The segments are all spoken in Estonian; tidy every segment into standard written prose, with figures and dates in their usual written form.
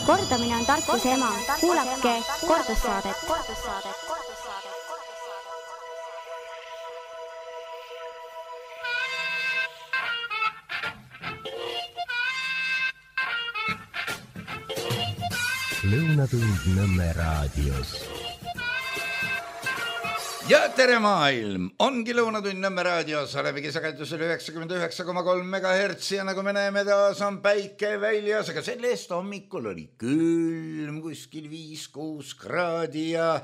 Kordamine on tarkuse ema. Kuulake kordussaadet. Lõunatund Nõmme raadios. Ja tere maailm! Ongi Lõunatund Nõmme raadios, Alevi sagedusel 99,3 MHz ja nagu me näeme, taas on päike väljas, aga sellest hommikul oli külm, kuskil 5-6 kraadi ja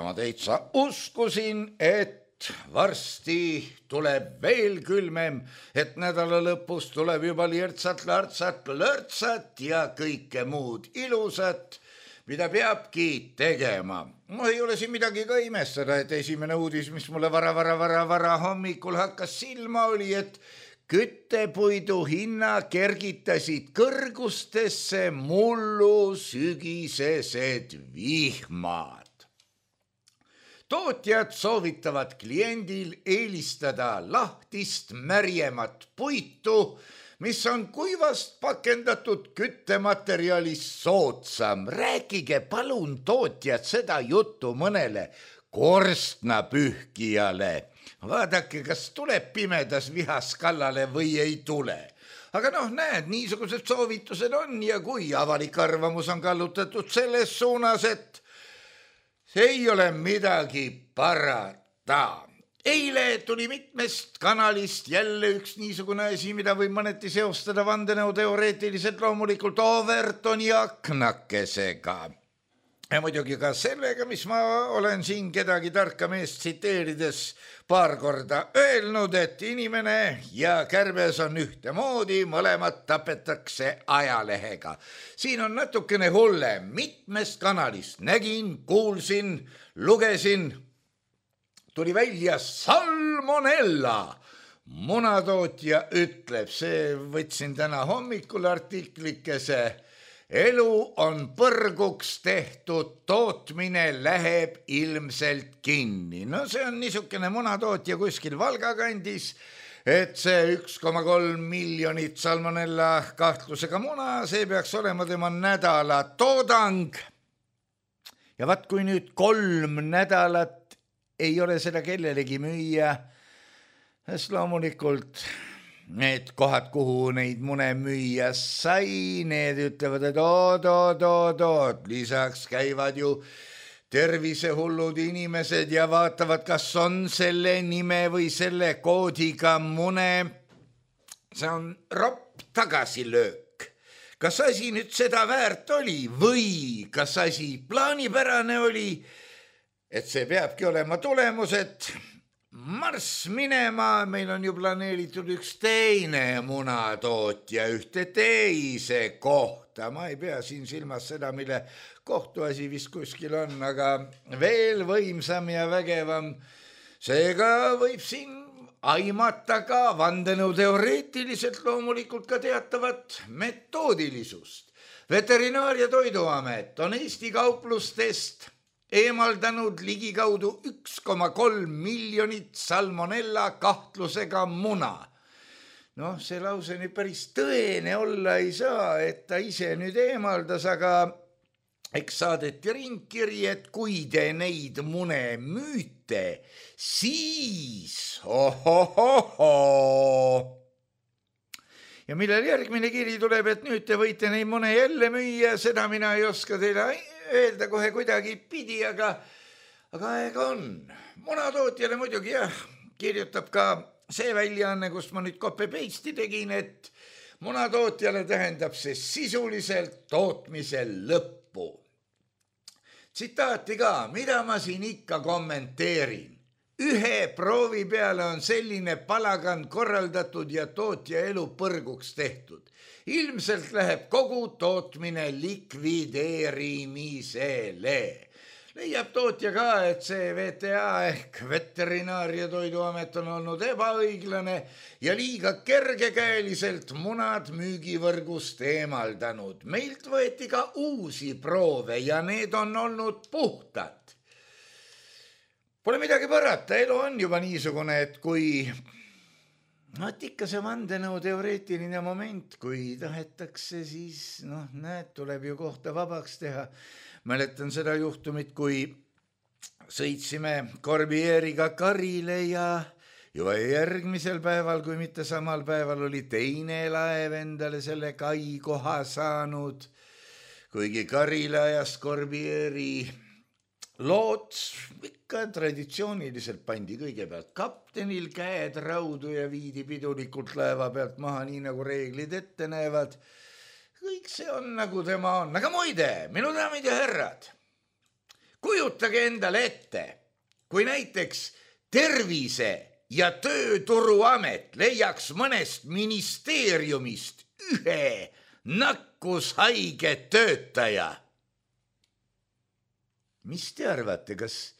ma täitsa uskusin, et varsti tuleb veel külmem, et nädala lõpus tuleb juba lirtsat, lartsat, lörtsat ja kõike muud ilusat, mida peabki tegema. Ei ole siin midagi ka imestada, et esimene uudis, mis mulle vara hommikul hakkas silma, oli, et küttepuidu hinna kergitasid kõrgustesse mullu sügisesed vihmad. Tootjad soovitavad kliendil eelistada lahtist märjemat puitu, mis on kuivast pakendatud küttematerjalist soodsam. Rääkige palun tootjad seda juttu mõnele korstnapühkijale. Vaadake, kas tuleb pimedas vihas kallale või ei tule. Aga näed, niisugused soovitused on ja kui avalik arvamus on kallutatud selles suunas, et see ei ole midagi parata. Eile tuli mitmest kanalist jälle üks niisugune asi, mida võib mõneti seostada vandenõuteoreetiliselt loomulikult Overtoni aknakesega. Ja muidugi ka sellega, mis ma olen siin kedagi tarka meest tsiteerides paar korda öelnud, et inimene ja kärbes on ühtemoodi, mõlemad tapetakse ajalehega. Siin on natukene hullem, mitmest kanalist nägin, kuulsin, lugesin, tuli välja salmonella. Munatootja ütleb, see võtsin täna hommikul artiklikese, elu on põrguks tehtud, tootmine läheb ilmselt kinni. See on niisugune munatootja kuskil Valga kandis, et see 1,3 miljonit salmonella kahtlusega muna, see peaks olema tema nädala toodang. Ja vaat kui nüüd 3 nädalat ei ole seda kellelegi müüa, sest loomulikult need kohad, kuhu neid mune müüa sai, need ütlevad, et oot, lisaks käivad ju tervisehullud inimesed ja vaatavad, kas on selle nime või selle koodiga mune. See on ropp tagasilöök. Kas asi nüüd seda väärt oli või kas asi plaanipärane oli, et see peabki olema tulemus, et marss minema, meil on ju planeeritud üks teine munatootja ühte teise kohta. Ma ei pea siin silmas seda, mille kohtuasi vist kuskil on, aga veel võimsam ja vägevam. Seega võib siin aimata ka vandenõuteoreetiliselt loomulikult ka teatavat metoodilisust. Veterinaar- ja Toiduamet on Eesti kauplustest eemaldanud ligikaudu 1,3 miljonit salmonella kahtlusega muna. See lause nüüd päris tõene olla ei saa, et ta ise nüüd eemaldas, aga eks saadeti ringkiri, et kui te neid mune müüte, siis ja millel järgmine kiri tuleb, et nüüd te võite neid mune jälle müüa, seda mina ei oska teile öelda kohe kuidagi pidi, aga aeg on. Munatootjale muidugi kirjutab ka see väljaanne, kust ma nüüd copy-paste'i tegin, et munatootjale tähendab see sisuliselt tootmise lõppu. Tsitaati ka, mida ma siin ikka kommenteerin. Ühe proovi peale on selline palagan korraldatud ja tootja elu põrguks tehtud. Ilmselt läheb kogu tootmine likvideerimisele. Leiab tootja ka, et see VTA ehk Veterinaar- ja Toiduamet on olnud ebaõiglane ja liiga kergekäeliselt munad müügivõrgust eemaldanud. Meilt võeti ka uusi proove ja need on olnud puhtad. Pole midagi parata, elu on juba niisugune, et kui ikka see vandenõu teoreetiline moment, kui tahetakse, siis näed, tuleb ju kohta vabaks teha. Mäletan seda juhtumit, kui sõitsime Corbieriga Karile ja juba järgmisel päeval, kui mitte samal päeval, oli teine laev endale selle kai koha saanud, kuigi Karile ajas Corbieri loots ikka traditsiooniliselt pandi kõigepealt kaptenil käed raudu ja viidi pidulikult laeva pealt maha, nii nagu reeglid ette näevad. Kõik see on nagu tema on. Aga muide, minu daamid ja härrad, kujutage endale ette, kui näiteks Tervise ja Tööturuamet leiaks mõnest ministeeriumist ühe nakkushaige töötaja. Mis te arvate, kas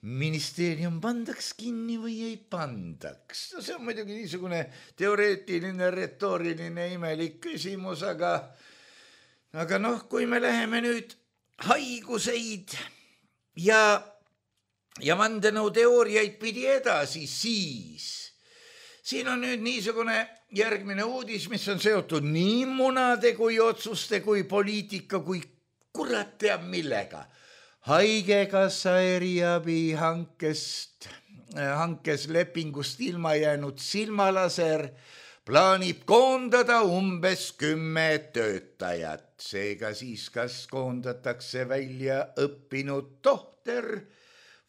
ministeerium pandaks kinni või ei pandaks? See on muidugi niisugune teoreetiline, retooriline, imelik küsimus, aga kui me läheme nüüd haiguseid ja vandenõuteooriaid pidi edasi, siis siin on nüüd niisugune järgmine uudis, mis on seotud nii munade kui otsuste kui poliitika kui kurat teab millega. Haigekassa eriabi hankes lepingust ilma jäänud silmalaser plaanib koondada umbes 10 töötajat. Seega siis kas koondatakse välja õppinud tohter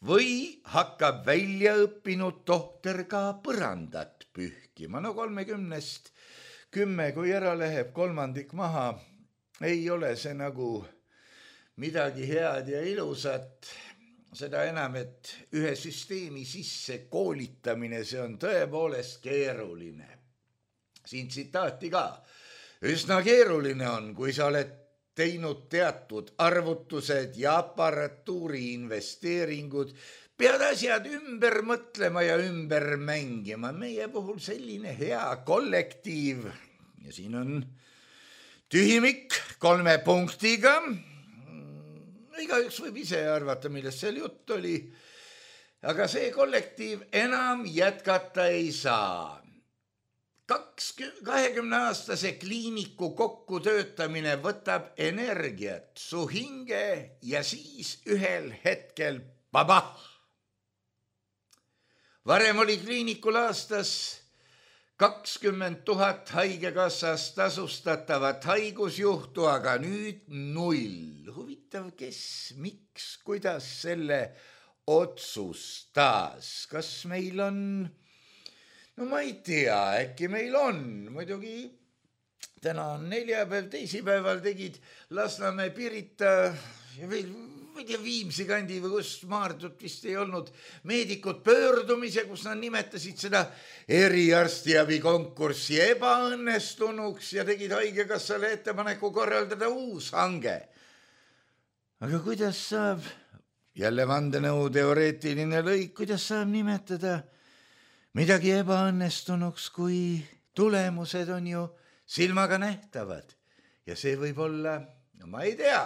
või hakkab välja õppinud tohter ka põrandat pühkima. 30-st 10, kui ära läheb kolmandik maha, ei ole see nagu midagi head ja ilusat, seda enam, et ühe süsteemi sisse koolitamine, see on tõepoolest keeruline. Siin tsitaati ka. Üsna keeruline on, kui sa oled teinud teatud arvutused ja aparatuuri investeeringud, pead asjad ümber mõtlema ja ümber mängima. Meie puhul selline hea kollektiiv ja siin on tühimik 3 punktiga. Igaüks võib ise arvata, millest seal jutt oli, aga see kollektiiv enam jätkata ei saa. 20-aastase kliiniku kokkutöötamine võtab energiat su hinge ja siis ühel hetkel babah. Varem oli kliinikul aastas 20 000 haigekassas tasustatavat haigusjuhtu, aga nüüd 0. Huvitav, kes, miks, kuidas selle otsustas? Kas meil on, ma ei tea, äkki meil on, muidugi täna on neljapäev, teisipäeval tegid Lasnamäe, Pirita ja veel Viimsi kandi või kus Maardut vist ei olnud meedikud pöördumise, kus nad nimetasid seda eriarstiabi konkurssi ebaõnnestunuks ja tegid haigekassale ettepaneku korraldada uus hange. Aga kuidas saab, jälle vandenõu teoreetiline lõik, kuidas saab nimetada midagi ebaõnnestunuks, kui tulemused on ju silmaga nähtavad ja see võib olla, ma ei tea.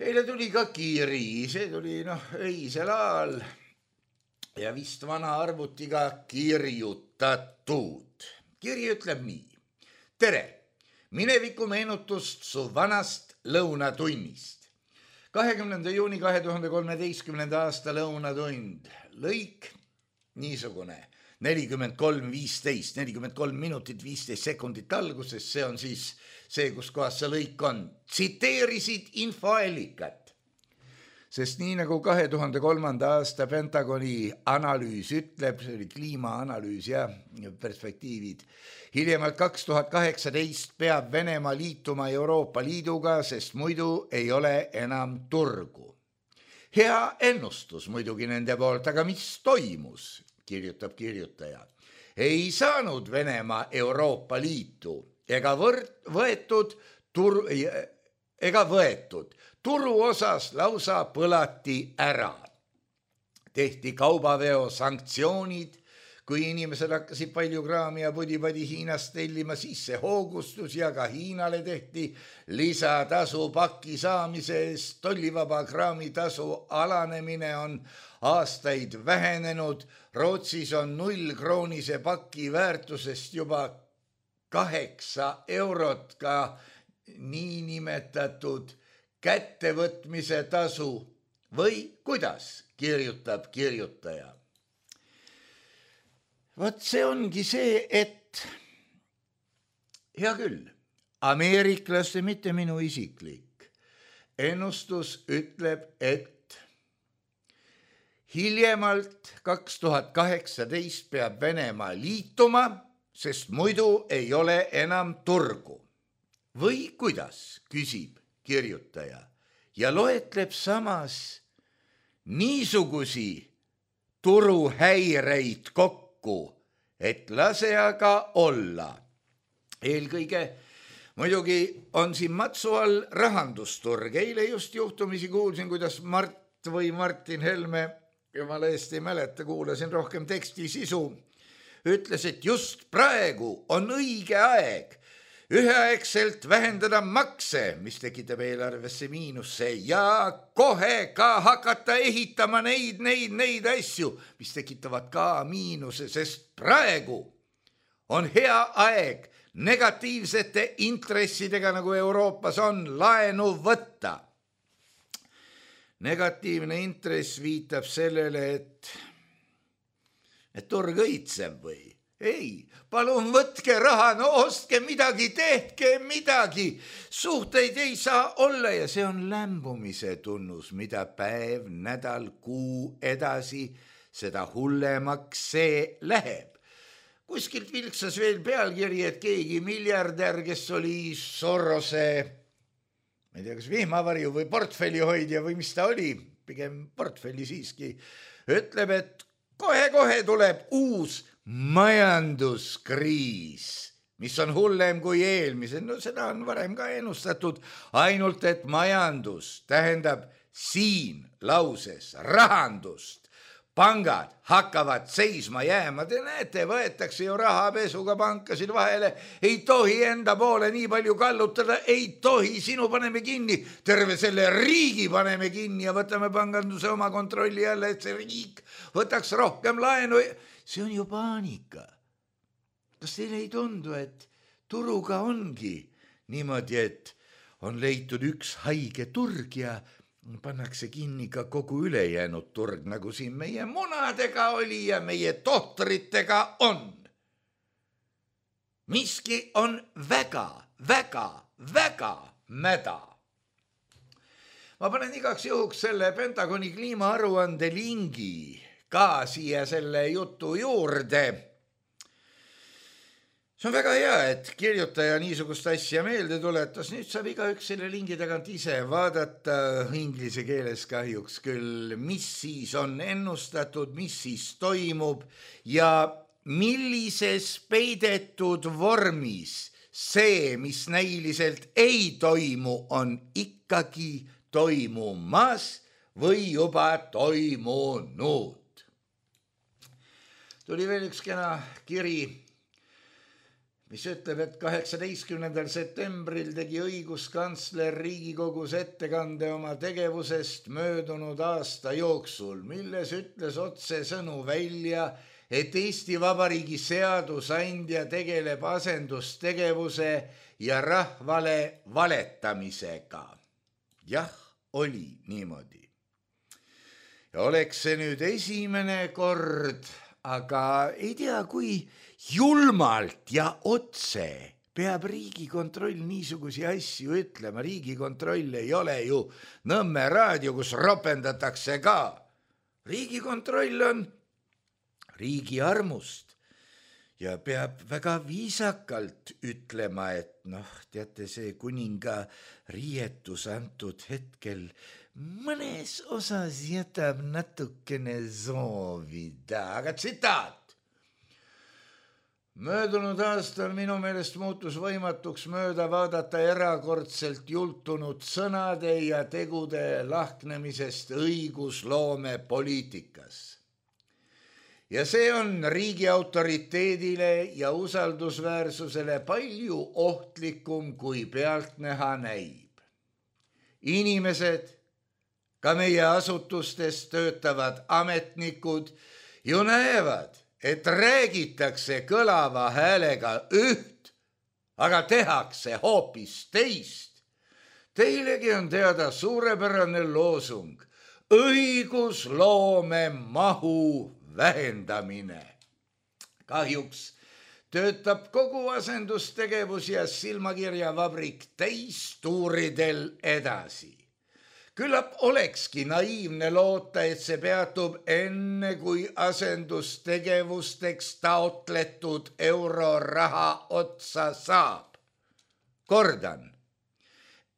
Eile tuli ka kiri, see tuli öisel ajal ja vist vana arvutiga kirjutatud. Kiri ütleb nii. Tere, mineviku meenutust su vanast lõunatunnist. 20. juuni 2013. aasta lõunatund. Lõik niisugune 43:15, 43 minutit 15 sekundit alguses, see on siis see, kus kohas see lõik on. Tsiteerisid infoallikat, sest nii nagu 2003. aasta Pentagoni analüüs ütleb, see oli kliimaanalüüs ja perspektiivid, hiljemalt 2018 peab Venemaa liituma Euroopa Liiduga, sest muidu ei ole enam turgu. Hea ennustus muidugi nende poolt, aga mis toimus? Kirjutab kirjutaja. Ei saanud Venemaa Euroopa Liitu ega võetud turu osas lausa põlati ära. Tehti kaubaveo sanktsioonid, kui inimesed hakkasid palju kraami ja pudi-padi Hiinast tellima, siis see hoogustus ja ka Hiinale tehti lisatasu paki saamise eest. Tollivaba kraamitasu alanemine on aastaid vähenenud. Rootsis on 0 kroonise paki väärtusest juba 8 eurot ka niinimetatud kättevõtmise tasu või kuidas, kirjutab kirjutaja. Vot see ongi see, et hea küll, ameeriklaste, mitte minu isiklik ennustus ütleb, et hiljemalt 2018 peab Venemaa liituma, sest muidu ei ole enam turgu. Või kuidas, küsib kirjutaja ja loetleb samas niisugusi turuhäireid kokku, et lase aga olla. Eelkõige muidugi on siin matsu all rahandusturg. Eile just juhtumisi kuulsin, kuidas Martin Helme, jumala eest ei mäleta, kuulasin rohkem teksti sisu, ütles, et just praegu on õige aeg üheaegselt vähendada makse, mis tekitab eelarvesse miinusse ja kohe ka hakata ehitama neid asju, mis tekitavad ka miinuse, sest praegu on hea aeg negatiivsete intressidega, nagu Euroopas on, laenu võtta. Negatiivne intress viitab sellele, et turg õitseb või? Ei, palun võtke raha, no ostke midagi, tehke midagi. Suhteid ei saa olla ja see on lämbumise tunnus, mida päev, nädal, kuu edasi, seda hullemaks see läheb. Kuskilt vilksas veel pealkiri, et keegi miljardär, kes oli Sorose, ma ei tea, kas vihmavarju või portfellihoidja või mis ta oli, pigem portfelli siiski, ütleb, et kohe-kohe tuleb uus majanduskriis, mis on hullem kui eelmised. No seda on varem ka ennustatud, ainult et majandus tähendab siin lauses rahandust. Pangad hakkavad seisma jääma. Te näete, võetakse ju rahapesuga pankasid vahele. Ei tohi enda poole nii palju kallutada, ei tohi, sinu paneme kinni. Terve selle riigi paneme kinni ja võtame panganduse oma kontrolli alla, et see riik võtaks rohkem laenu. See on ju paanika. Kas teile ei tundu, et turuga ongi niimoodi, et on leitud üks haige turg ja pannakse kinni ka kogu ülejäänud turg, nagu siin meie munadega oli ja meie tohtritega on. Miski on väga mäda. Ma panen igaks juhuks selle Pentagoni kliimaaruande lingi ka siia selle jutu juurde. See on väga hea, et kirjutaja niisugust asja meelde tuletas. Nüüd saab igaüks selle lingi tagant ise vaadata, inglise keeles kahjuks küll, mis siis on ennustatud, mis siis toimub ja millises peidetud vormis see, mis näiliselt ei toimu, on ikkagi toimumas või juba toimunud. Tuli veel üks kena kiri, mis ütleb, et 18. septembril tegi õiguskantsler Riigikogus ettekande oma tegevusest möödunud aasta jooksul, milles ütles otsesõnu välja, et Eesti Vabariigi seadusandja tegeleb asendustegevuse ja rahvale valetamisega. Jah, oli niimoodi. Ja oleks see nüüd esimene kord, aga ei tea, kui julmalt ja otse peab Riigikontroll niisugusi asju ütlema. Riigikontroll ei ole ju Nõmme raadio, kus ropendatakse ka. Riigikontroll on riigi armust ja peab väga viisakalt ütlema, et teate, see kuninga riietus antud hetkel mõnes osas jätab natukene soovida. Aga tsitaat. Möödunud aastal minu meelest muutus võimatuks mööda vaadata erakordselt jultunud sõnade ja tegude lahknemisest õigusloome poliitikas. ja see on riigi autoriteedile ja usaldusväärsusele palju ohtlikum, kui pealtnäha näib. Inimesed, ka meie asutustes töötavad ametnikud ju näevad, et räägitakse kõlava häälega üht, aga tehakse hoopis teist. Teilegi on teada suurepärane loosung: õigusloome mahu vähendamine. Kahjuks töötab kogu asendustegevus ja silmakirjavabrik täistuuridel edasi. Küllap olekski naiivne loota, et see peatub enne, kui asendustegevusteks taotletud euroraha otsa saab. Kordan,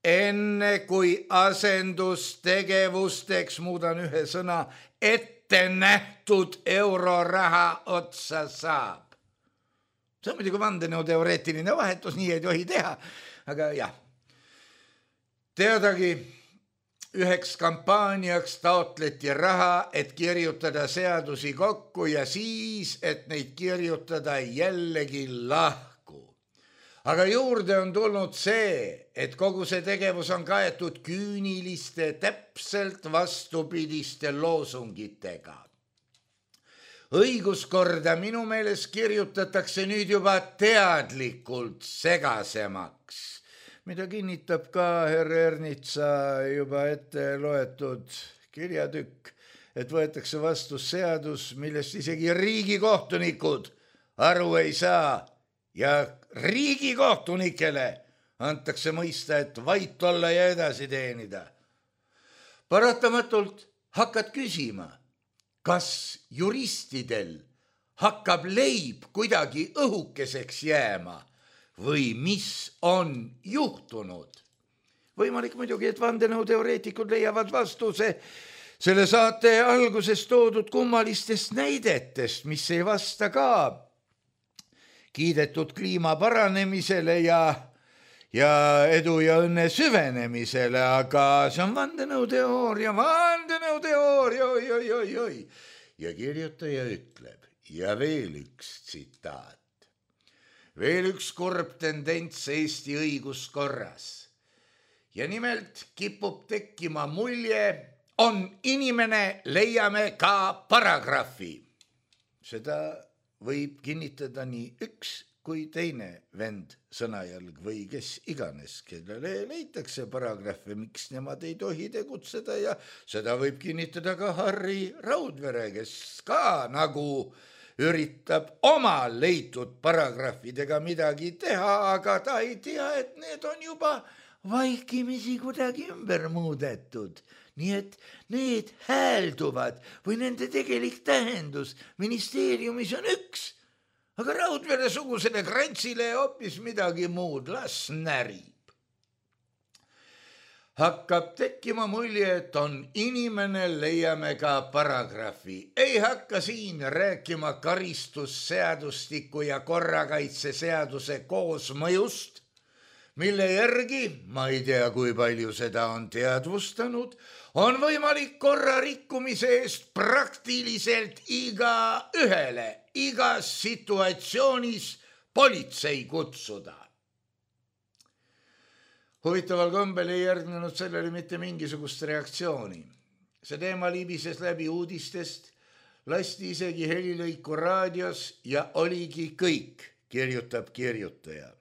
enne kui asendustegevusteks, muudan ühe sõna, ette nähtud euroraha otsa saab. See on muidugi vandenõuteoreetiline vahetus, nii ei tohi teha, aga jah. Teadagi, üheks kampaaniaks taotleti raha, et kirjutada seadusi kokku ja siis, et neid kirjutada jällegi lahku. Aga juurde on tulnud see, et kogu see tegevus on kaetud küüniliste, täpselt vastupidiste loosungitega. Õiguskorda minu meelest kirjutatakse nüüd juba teadlikult segasemaks, mida kinnitab ka herr Ernitsa juba ette loetud kirjatükk, et võetakse vastu seadus, millest isegi riigikohtunikud aru ei saa ja riigikohtunikele antakse mõista, et vait olla ja edasi teenida. Paratamatult hakkad küsima, kas juristidel hakkab leib kuidagi õhukeseks jääma või mis on juhtunud. Võimalik muidugi, et vandenõuteoreetikud leiavad vastuse selle saate alguses toodud kummalistest näidetest, mis ei vasta ka kiidetud kliima paranemisele ja edu ja õnne süvenemisele, aga see on vandenõuteooria, oi. Ja kirjutaja ütleb, ja veel üks tsitaat. Veel üks kurb tendents Eesti õiguskorras. Ja nimelt kipub tekkima mulje, on inimene, leiame ka paragrahvi. Seda võib kinnitada nii üks kui teine vend sõnajalg või kes iganes, kellele leitakse paragrahve, miks nemad ei tohi tegutseda ja seda võib kinnitada ka Harri Raudvere, kes ka nagu üritab oma leitud paragrahvidega midagi teha, aga ta ei tea, et need on juba vaikimisi kuidagi ümber muudetud. Nii et need häälduvad või nende tegelik tähendus ministeeriumis on üks, aga Raudvere sugusele Grantsile hoopis midagi muud, las närib. Hakkab tekkima mulje, et on inimene, leiame ka paragrahvi. Ei hakka siin rääkima karistusseadustiku ja korrakaitseseaduse koosmõjust, mille järgi, ma ei tea, kui palju seda on teadvustanud, on võimalik korrarikkumise eest praktiliselt igaühele, igas situatsioonis politsei kutsuda. Huvitaval kombel ei järgnenud sellele mitte mingisugust reaktsiooni. See teema libises läbi uudistest, lasti isegi helilõiku raadios ja oligi kõik, kirjutab kirjutaja.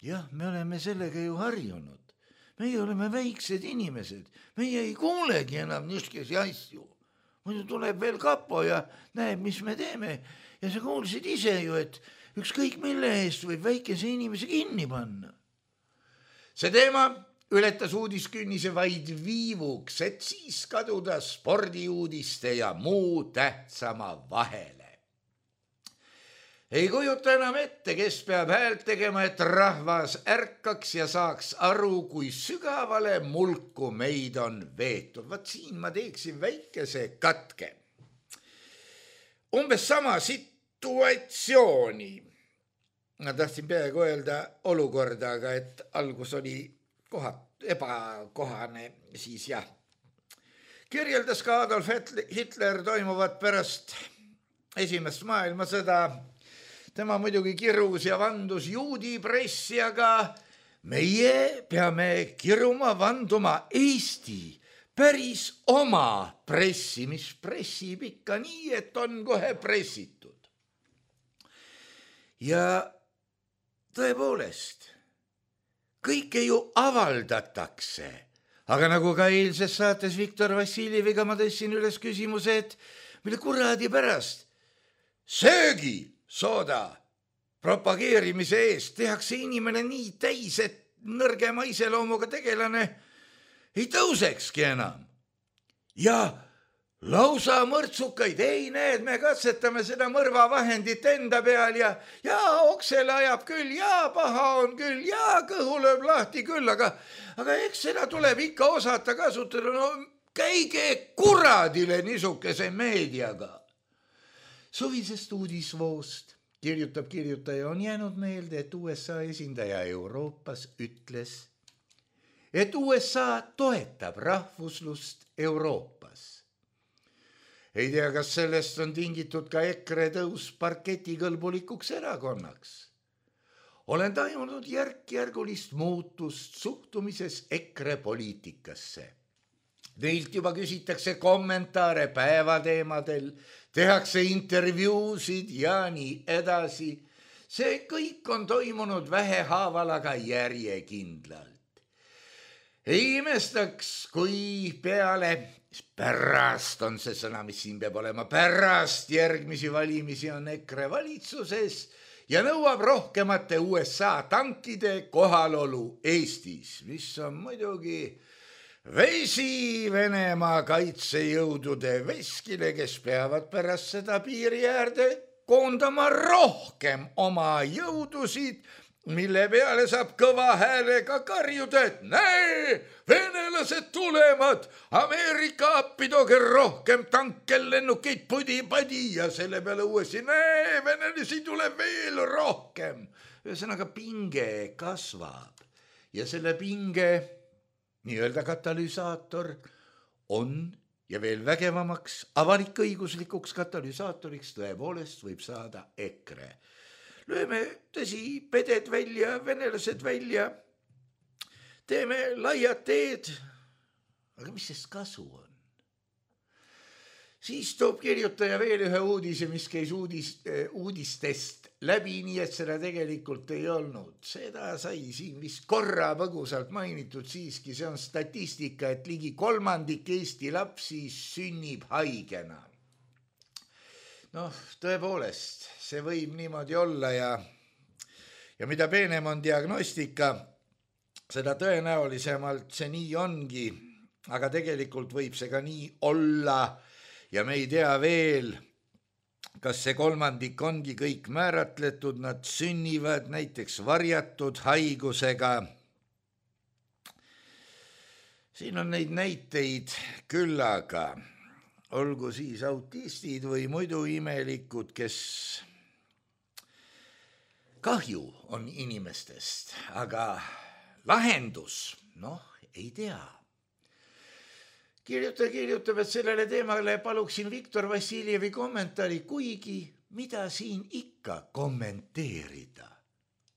Jah, me oleme sellega ju harjunud. Meie oleme väiksed inimesed. Meie ei kuulegi enam niisugesi asju. Muidu tuleb veel kapo ja näeb, mis me teeme. Ja sa kuulsid ise ju, et ükskõik mille eest võib väikese inimese kinni panna. See teema ületas uudiskünnise vaid viivuks, et siis kaduda spordiuudiste ja muu tähtsama vahele. Ei kujuta enam ette, kes peab häält tegema, et rahvas ärkaks ja saaks aru, kui sügavale mulku meid on veetud. Vaat siin ma teeksin väikese katke. Umbes sama situatsiooni. Ma tahtsin peaaegu öelda olukorda, aga et algus oli ebakohane, siis jah. Kirjeldas ka Adolf Hitler toimuvat pärast esimest maailmasõda. Tema muidugi kirus ja vandus juudi pressi, aga meie peame kiruma vanduma Eesti päris oma pressi, mis pressib ikka nii, et on kohe pressitud. Ja tõepoolest, kõike ju avaldatakse, aga nagu ka eilses saates Viktor Vassiljeviga ma tõstsin üles küsimuse, et mille kuradi pärast söögisooda propageerimise eest tehakse inimene nii täis, et nõrgema iseloomuga tegelane ei tõusekski enam. Ja lausa mõrtsukaid, ei näed, me katsetame seda mõrvavahendit enda peal ja oksele ajab küll, ja paha on küll, ja kõhu lööb lahti küll, aga eks seda tuleb ikka osata kasutada, no käige kuradile niisuguse meediaga. Suvisest uudisvoost kirjutab kirjutaja, on jäänud meelde, et USA esindaja Euroopas ütles, et USA toetab rahvuslust Euroopas. Ei tea, kas sellest on tingitud ka EKRE tõus parketikõlbulikuks erakonnaks. Olen tajunud järk-järgulist muutust suhtumises EKRE poliitikasse. Teilt juba küsitakse kommentaare päevateemadel, tehakse intervjuusid ja nii edasi. See kõik on toimunud vähehaaval, aga järjekindlalt. Ei imestaks, kui pärast on see sõna, mis siin peab olema, pärast järgmisi valimisi on EKRE valitsuses ja nõuab rohkemate USA tankide kohalolu Eestis, mis on muidugi vesi Venemaa kaitsejõudude veskile, kes peavad pärast seda piiri äärde koondama rohkem oma jõudusid, mille peale saab kõva häälega karjuda, et näe, venelased tulevad, Ameerika appi tooge rohkem tankel, lennukeid pudi-padi ja selle peale uuesti, näe, venelasi tuleb veel rohkem. Ühesõnaga pinge kasvab ja selle pinge nii-öelda katalüsaator on ja veel vägevamaks avalik-õiguslikuks katalüsaatoriks tõepoolest võib saada EKRE. Lööme tõsi peded välja, venelased välja, teeme laiad teed, aga mis sest kasu on? Siis toob kirjutaja veel ühe uudise, mis käis uudistest läbi, nii et seda tegelikult ei olnud. Seda sai siin vist korra põgusalt mainitud siiski, see on statistika, et ligi 1/3 Eesti lapsi sünnib haigena. Noh, tõepoolest, see võib niimoodi olla ja mida peenem on diagnostika, seda tõenäolisemalt see nii ongi, aga tegelikult võib see ka nii olla ja me ei tea veel, kas see 1/3 ongi kõik määratletud, nad sünnivad näiteks varjatud haigusega. Siin on neid näiteid küllaga. Olgu siis autistid või muidu imelikud, kes kahju on inimestest, aga lahendus, ei tea. Kirjutab, et sellele teemale paluksin Viktor Vassiljevi kommentaari, kuigi mida siin ikka kommenteerida.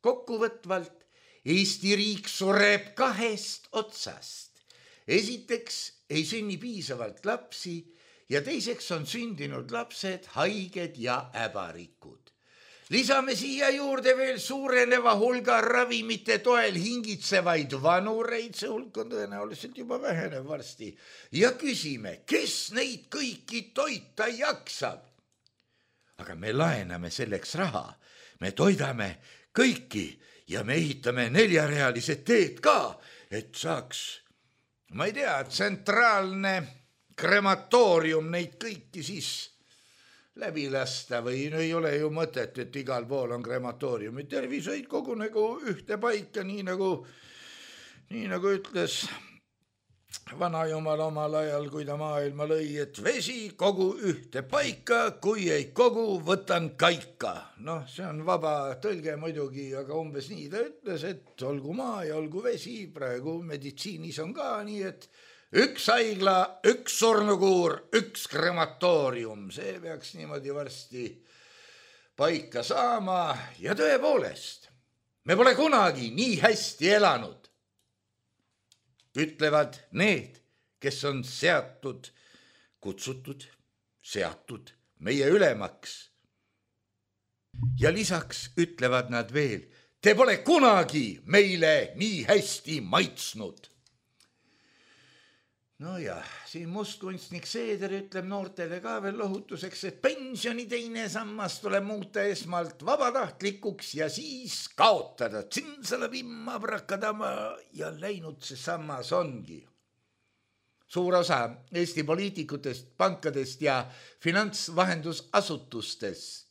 Kokkuvõtvalt, Eesti riik sureb 2 otsast. Esiteks ei sünni piisavalt lapsi, ja teiseks on sündinud lapsed haiged ja äbarikud. Lisame siia juurde veel suureneva hulga ravimite toel hingitsevaid vanureid, see hulk on tõenäoliselt juba vähenev varsti, ja küsime, kes neid kõiki toita jaksab. Aga me laename selleks raha, me toidame kõiki ja me ehitame 4-realised teed ka, et saaks, ma ei tea, tsentraalne krematoorium neid kõiki siis läbi lasta või ei ole ju mõtet, et igal pool on krematooriumid. Tervishoid kogunegu ühte paika, nii nagu ütles vanajumal omal ajal, kui ta maailma lõi, et vesi kogu ühte paika, kui ei kogu, võtan kaika. See on vaba tõlge muidugi, aga umbes nii ta ütles, et olgu maa ja olgu vesi, praegu meditsiinis on ka nii, et üks haigla, üks surnukuur, üks krematoorium, see peaks niimoodi varsti paika saama ja tõepoolest, me pole kunagi nii hästi elanud, ütlevad need, kes on kutsutud, seatud meie ülemaks. Ja lisaks ütlevad nad veel, te pole kunagi meile nii hästi maitsnud. No ja, siin mustkunstnik Seeder ütleb noortele ka veel lohutuseks, et pensioni teine sammas tuleb muuta esmalt vabatahtlikuks ja siis kaotada. Tsinsalabimma brakadama ja läinud see sammas ongi. Suur osa Eesti poliitikutest, pankadest ja finantsvahendusasutustest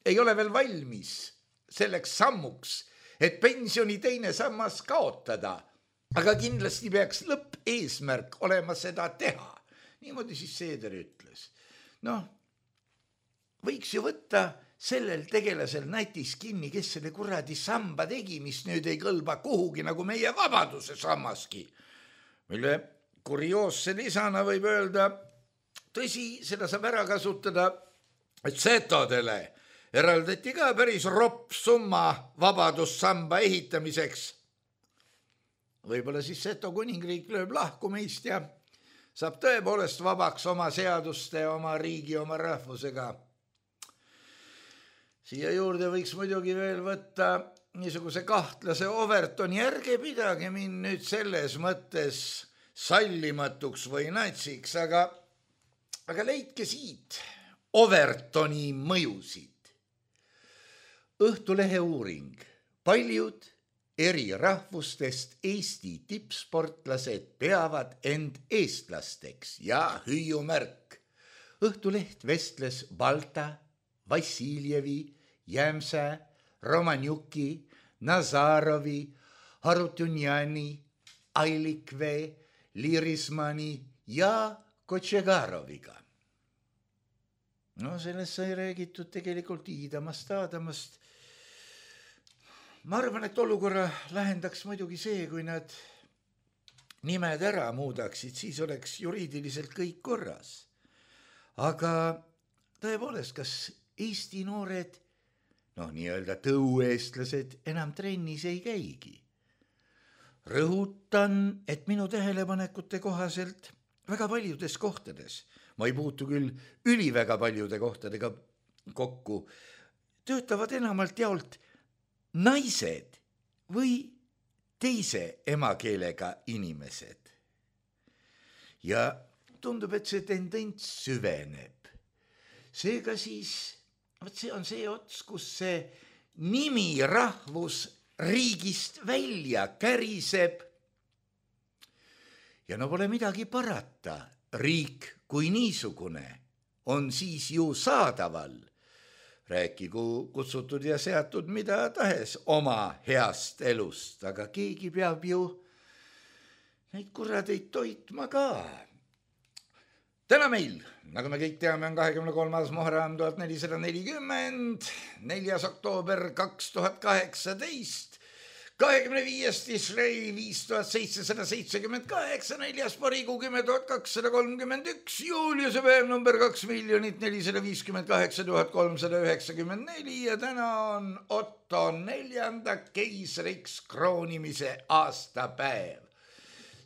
ei ole veel valmis selleks sammuks, et pensioni teine sammas kaotada. Aga kindlasti peaks lõppeesmärk olema seda teha. Niimoodi siis Seeder ütles. Võiks ju võtta sellel tegelasel nätis kinni, kes selle kuradi samba tegi, mis nüüd ei kõlba kuhugi nagu meie vabaduse sammaski. Mille kurioosse lisana võib öelda, tõsi, seda saab ära kasutada, et setodele eraldati ka päris ropp summa vabadussamba ehitamiseks. Võib-olla siis Seto kuningriik lööb lahku meist ja saab tõepoolest vabaks oma seaduste, oma riigi, oma rahvusega. Siia juurde võiks muidugi veel võtta niisuguse kahtlase Overtoni, ärge pidage mind nüüd selles mõttes sallimatuks või natsiks, aga leidke siit Overtoni mõjusid. Õhtulehe uuring, paljud eri rahvustest Eesti tippsportlased peavad end eestlasteks ja hüüumärk. Õhtuleht vestles Balta, Vassiljevi, Jämsä, Romanjuki, Nazarovi, Harutunjani, Ailikvee, Lirismani ja Kotšegaroviga. Sellest sai räägitud tegelikult Iidamast, Aadamast. Ma arvan, et olukorra lahendaks muidugi see, kui nad nimed ära muudaksid, siis oleks juriidiliselt kõik korras. Aga tõepoolest, kas Eesti noored, nii-öelda tõueestlased enam trennis ei käigi? Rõhutan, et minu tähelepanekute kohaselt väga paljudes kohtades, ma ei puutu küll üliväga paljude kohtadega kokku, töötavad enamalt jaolt naised või teise emakeelega inimesed. Ja tundub, et see tendents süveneb. Seega siis, see on see ots, kus see nimi rahvus riigist välja käriseb. Ja pole midagi parata, riik kui niisugune on siis ju saadaval. Rääkigu kutsutud ja seatud mida tahes oma heast elust, aga keegi peab ju neid kurradeid toitma ka. Täna meil, nagu me kõik teame, on 23. Muharram 1440, 4. oktoober 2018, 25. Tishrei 5778, 4. Parigu 10.231, Juliuse päev number 2,458,394 ja täna on Otto 4. keisriks kroonimise aastapäev.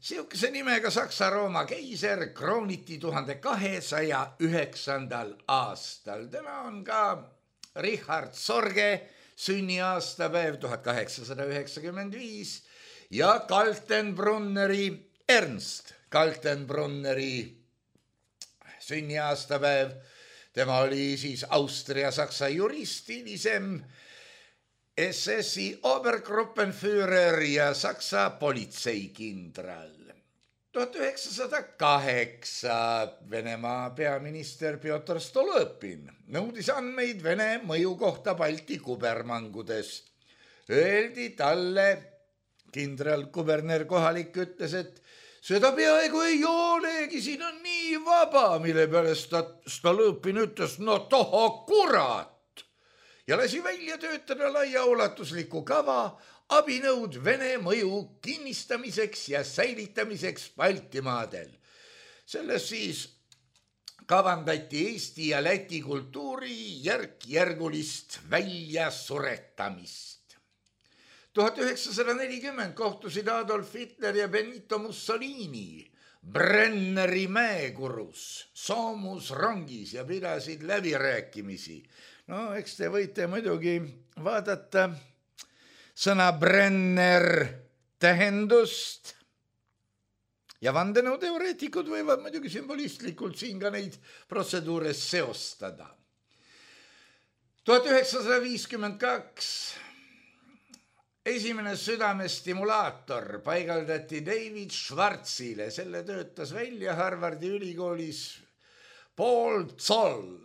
Siukese nimega Saksa-Rooma keiser krooniti 1209. aastal. Täna on ka Richard Sorge sünniaastapäev 1895 ja Ernst Kaltenbrunneri sünniaastapäev. Tema oli siis Austria-Saksa jurist, hilisem SS-i Obergruppenführer ja Saksa politseikindral. 1908 Venemaa peaminister Pjotr Stolõpin nõudis andmeid Vene mõju kohta Balti kubermangudes. Öeldi talle, kindralkuberner kohalik ütles, et seda peaaegu ei olegi, siin on nii vaba, mille peale Stolõpin ütles, no toho kurat. ja lasi välja töötada laiaulatusliku kava abinõud Vene mõju kinnistamiseks ja säilitamiseks Baltimaadel. Selles siis kavandati Eesti ja Läti kultuuri järk-järgulist väljasuretamist. 1940 kohtusid Adolf Hitler ja Benito Mussolini Brenneri mäekurus soomusrongis ja pidasid läbirääkimisi. No, eks te võite muidugi vaadata sõna Brenner tähendust ja vandenõuteoreetikud võivad muidugi sümbolistlikult siin ka neid protseduure seostada. 1952 esimene südamestimulaator paigaldati David Schwarzile, selle töötas välja Harvardi ülikoolis Paul Zoll.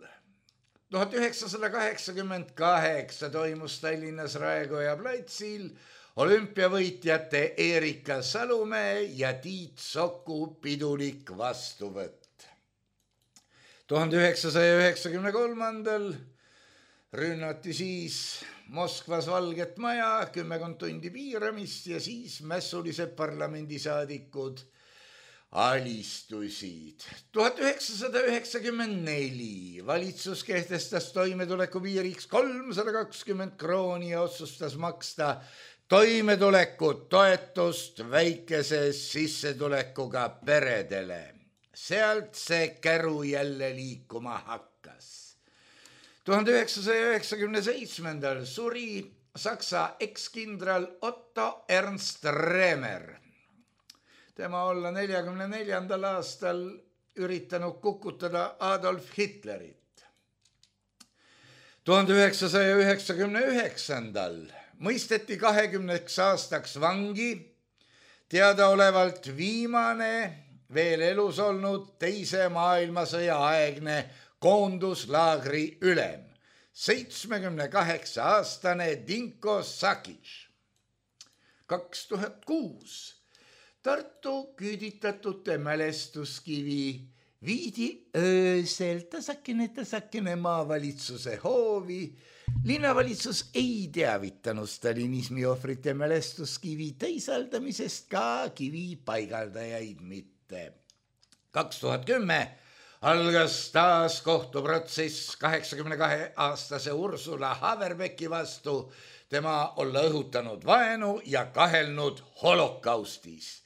1988 toimus Tallinnas Raekoja platsil olümpiavõitjate Erika Salumäe ja Tiit Soku pidulik vastuvõtt. 1993 rünnati siis Moskvas Valget Maja, 10 tundi piiramist ja siis mässulised parlamendisaadikud alistusid. 1994 valitsus kehtestas toimetuleku piiriks 320 krooni ja otsustas maksta toimetulekutoetust väikese sissetulekuga peredele. Sealt see käru jälle liikuma hakkas. 1997 suri Saksa ekskindral Otto Ernst Remer. Tema olla 44. aastal üritanud kukutada Adolf Hitlerit. 1999 mõisteti 20 aastaks vangi teadaolevalt viimane veel elus olnud teise maailmasõja aegne koonduslaagri ülem, 78-aastane Dinko Sakic. 2006 Tartu küüditatute mälestuskivi viidi öösel tasakene maavalitsuse hoovi. Linnavalitsus ei teavitanud stalinismi ohvrite mälestuskivi teisaldamisest, ka kivi paigaldajaid mitte. 2010 algas taas kohtuprotsess 82-aastase Ursula Haverbecki vastu, tema olla õhutanud vaenu ja kahelnud holokaustis.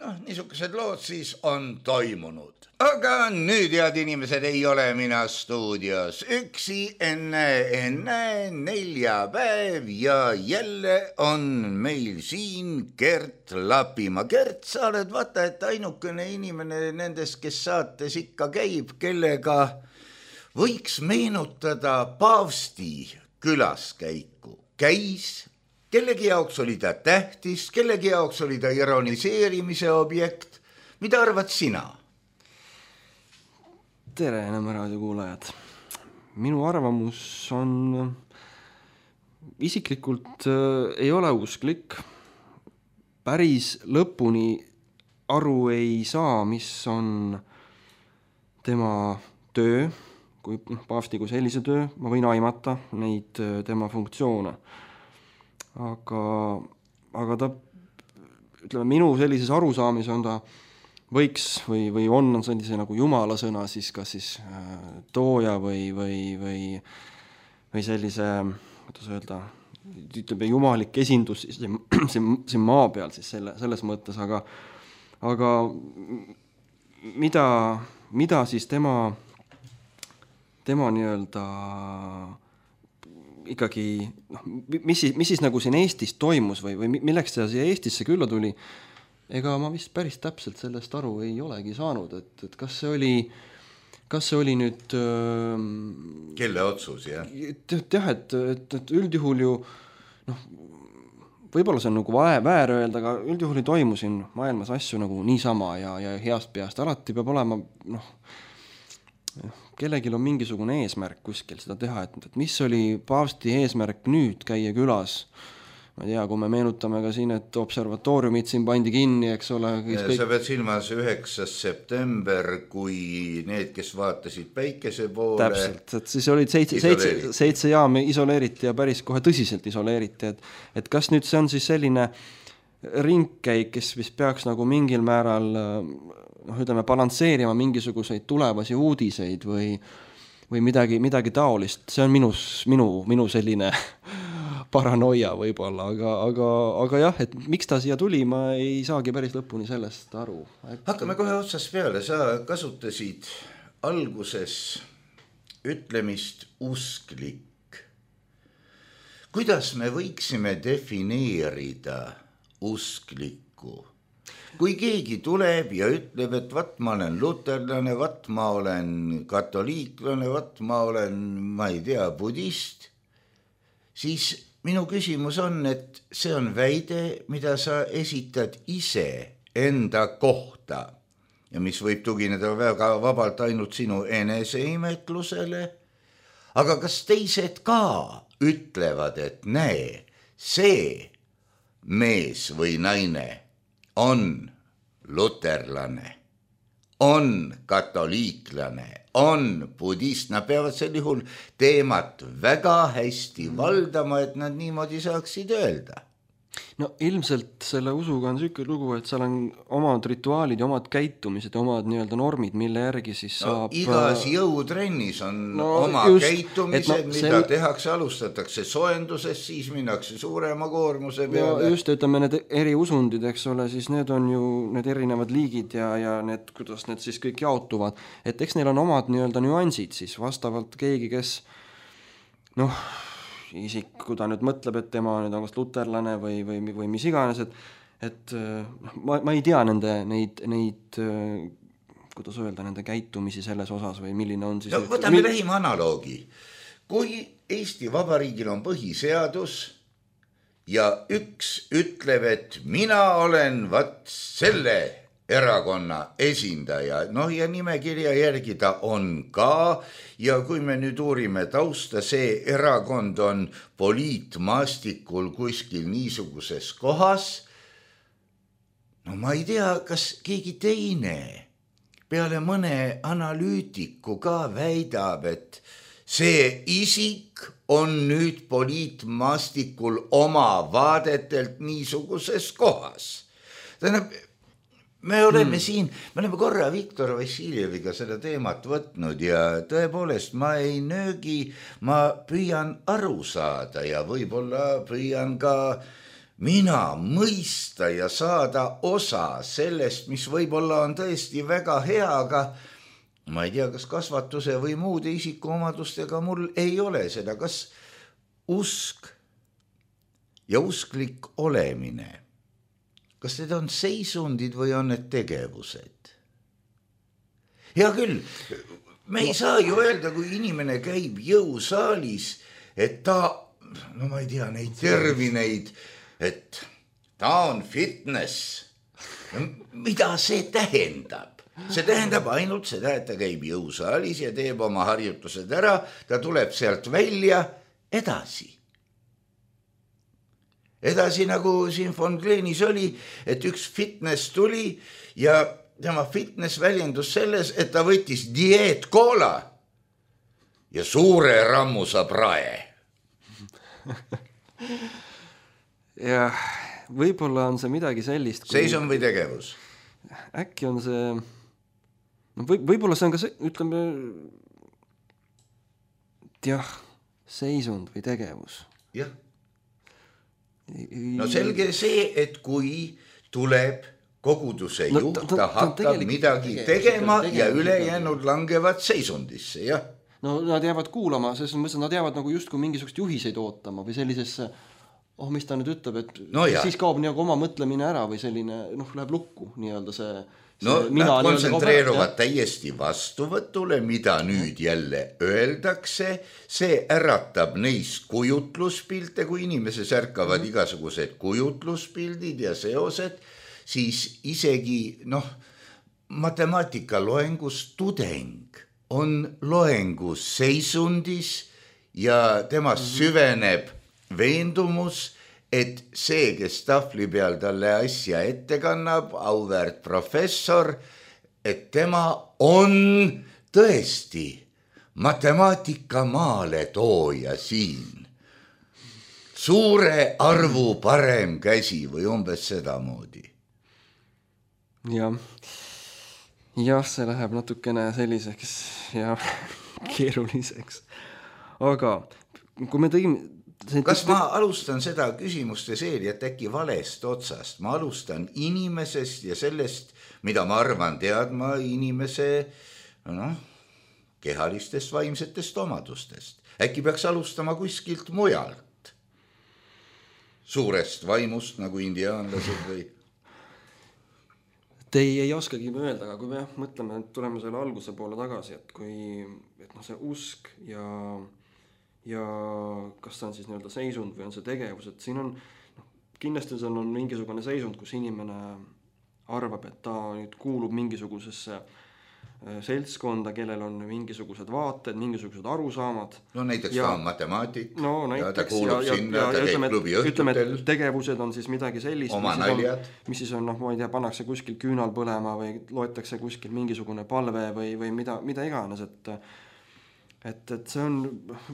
Niisugused lood siis on toimunud. Aga nüüd, head inimesed, ei ole mina stuudios üksi enne neljapäev ja jälle on meil siin Gert Lapimaa. Gert, sa oled vaata, et ainukene inimene nendest, kes saates ikka käib, kellega võiks meenutada paavsti külaskäiku. Käis, kellegi jaoks oli ta tähtis, kellegi jaoks oli ta ironiseerimise objekt. Mida arvad sina? Tere, Nõmme raadio kuulajad. Minu arvamus on isiklikult ei ole usklik. Päris lõpuni aru ei saa, mis on tema töö, kui paavsti kui sellise töö, ma võin aimata neid tema funktsioone. Aga ta, ütleme, minu sellises arusaamis on ta võiks või on sellise nagu jumala sõna siis kas siis tooja või sellise, kuidas öelda, ütleme jumalik esindus siin maa peal siis selles mõttes, aga mida siis tema nii-öelda ikkagi, mis siis nagu siin Eestis toimus või milleks ta siia Eestisse külla tuli, ega ma vist päris täpselt sellest aru ei olegi saanud, et kas see oli nüüd kelle otsus, jah? Jah, et üldjuhul ju võib-olla see on nagu väär öelda, aga üldjuhul ei toimu siin maailmas asju nagu niisama ja heast peast. Alati peab olema, kellegil on mingisugune eesmärk kuskil seda teha, et mis oli paavsti eesmärk nüüd käia külas. ma ei tea, kui me meenutame ka siin, et observatooriumid siin pandi kinni, eks ole. Sa pead silmas 9. september, kui need, kes vaatasid päikese poole. Täpselt, et siis olid 7 jaami isoleeriti ja päris kohe tõsiselt isoleeriti, et kas nüüd see on siis selline ringkäik, kes vist peaks nagu mingil määral ütleme, balansseerima mingisuguseid tulevasi uudiseid või midagi taolist, see on minu selline paranoia võib-olla, aga jah, et miks ta siia tuli, ma ei saagi päris lõpuni sellest aru. Hakkame kohe otsast peale, sa kasutasid alguses ütlemist usklik. Kuidas me võiksime defineerida usklikku? Kui keegi tuleb ja ütleb, et vat ma olen luterlane, vat ma olen katoliiklane, vat ma olen, ma ei tea, budist, siis minu küsimus on, et see on väide, mida sa esitad ise enda kohta ja mis võib tugineda väga vabalt ainult sinu eneseimetlusele, aga kas teised ka ütlevad, et näe, see mees või naine on luterlane, on katoliiklane, on budist, nad peavad sel juhul teemat väga hästi valdama, et nad niimoodi saaksid öelda. No ilmselt selle usuga on selline lugu, et seal on omad rituaalid ja omad käitumised ja omad nii-öelda normid, mille järgi siis saab... Igas jõutrennis on oma käitumised, mida tehakse, alustatakse soenduses, siis minnakse suurema koormuse peale. Just, ütleme, need eri usundid, eks ole, siis need on ju need erinevad liigid ja need, kuidas need siis kõik jaotuvad. Et eks neil on omad nii-öelda nüansid siis vastavalt keegi, kes isik, kui ta nüüd mõtleb, et tema nüüd on kas luterlane või mis iganes, et ma ei tea neid kuidas öelda, nende käitumisi selles osas või milline on siis... Võtame lähima analoogi. Kui Eesti Vabariigil on põhiseadus ja üks ütleb, et mina olen selle erakonna esindaja, ja nimekirja järgi ta on ka, ja kui me nüüd uurime tausta, see erakond on poliitmaastikul kuskil niisuguses kohas, ma ei tea, kas keegi teine peale mõne analüütiku ka väidab, et see isik on nüüd poliitmaastikul oma vaadetelt niisuguses kohas. Tähendab, me oleme korra Viktor Vassiljeviga seda teemat võtnud ja tõepoolest ma ei nöögi, ma püüan aru saada ja võib-olla püüan ka mina mõista ja saada osa sellest, mis võib-olla on tõesti väga hea, aga ma ei tea, kas kasvatuse või muude isikuomadustega mul ei ole seda, kas usk ja usklik olemine, kas need on seisundid või on need tegevused? Hea küll, me ei saa ju öelda, kui inimene käib jõusaalis, et ta, ma ei tea, neid termineid, et ta on fitness. Mida see tähendab? See tähendab ainult seda, et ta käib jõusaalis ja teeb oma harjutused ära, ta tuleb sealt välja edasi. Edasi nagu siin von Gleenis oli, et üks fitness tuli ja tema fitness väljendus selles, et ta võttis dieetkoola ja suure rammusa prae. Ja võib-olla on see midagi sellist. Seisund või tegevus? Äkki on see, võib-olla see on ka see, ütleme, seisund või tegevus. Jah. No selge see, et kui tuleb koguduse juht, ta hakkab midagi tegema ja ülejäänud langevad seisundisse, jah. No nad jäävad kuulama, selles mõttes nad jäävad nagu just kui mingisugust juhiseid ootama või sellisesse, mis ta nüüd ütleb, et siis kaob nagu oma mõtlemine ära või selline, läheb lukku nii-öelda see nad kontsentreeruvad täiesti vastuvõtule, mida nüüd jälle öeldakse, see äratab neis kujutluspilte, kui inimeses ärkavad igasugused kujutluspildid ja seosed, siis isegi matemaatika loengus tudeng on loengus seisundis ja temast süveneb veendumus, et see, kes tahvli peal talle asja ette kannab, auväärt professor, et tema on tõesti matemaatika maale tooja siin. Suure arvu parem käsi või umbes sedamoodi. Jah, see läheb natukene selliseks ja keeruliseks. Aga kui me tõime... Kas ma alustan seda küsimuste seeriat äkki valest otsast? Ma alustan inimesest ja sellest, mida ma arvan teadma inimese kehalistest vaimsetest omadustest. Äkki peaks alustama kuskilt mujalt? Suurest vaimust nagu indiaanlased või? Te ei oskagi öelda, aga kui me mõtleme, et tuleme selle alguse poole tagasi, et kui see usk ja kas ta on siis nii-öelda seisund või on see tegevus, et siin on kindlasti see on mingisugune seisund, kus inimene arvab, et ta nüüd kuulub mingisugusesse seltskonda, kellel on mingisugused vaated, mingisugused arusaamad. No näiteks ta on matemaatik näiteks, ta kuulub sinna, ta käib klubi õhtutel. Ütleme, tegevused on siis midagi sellist, mis siis on, ma ei tea, pannakse kuskil küünal põlema või loetakse kuskil mingisugune palve või mida iganes, et see on,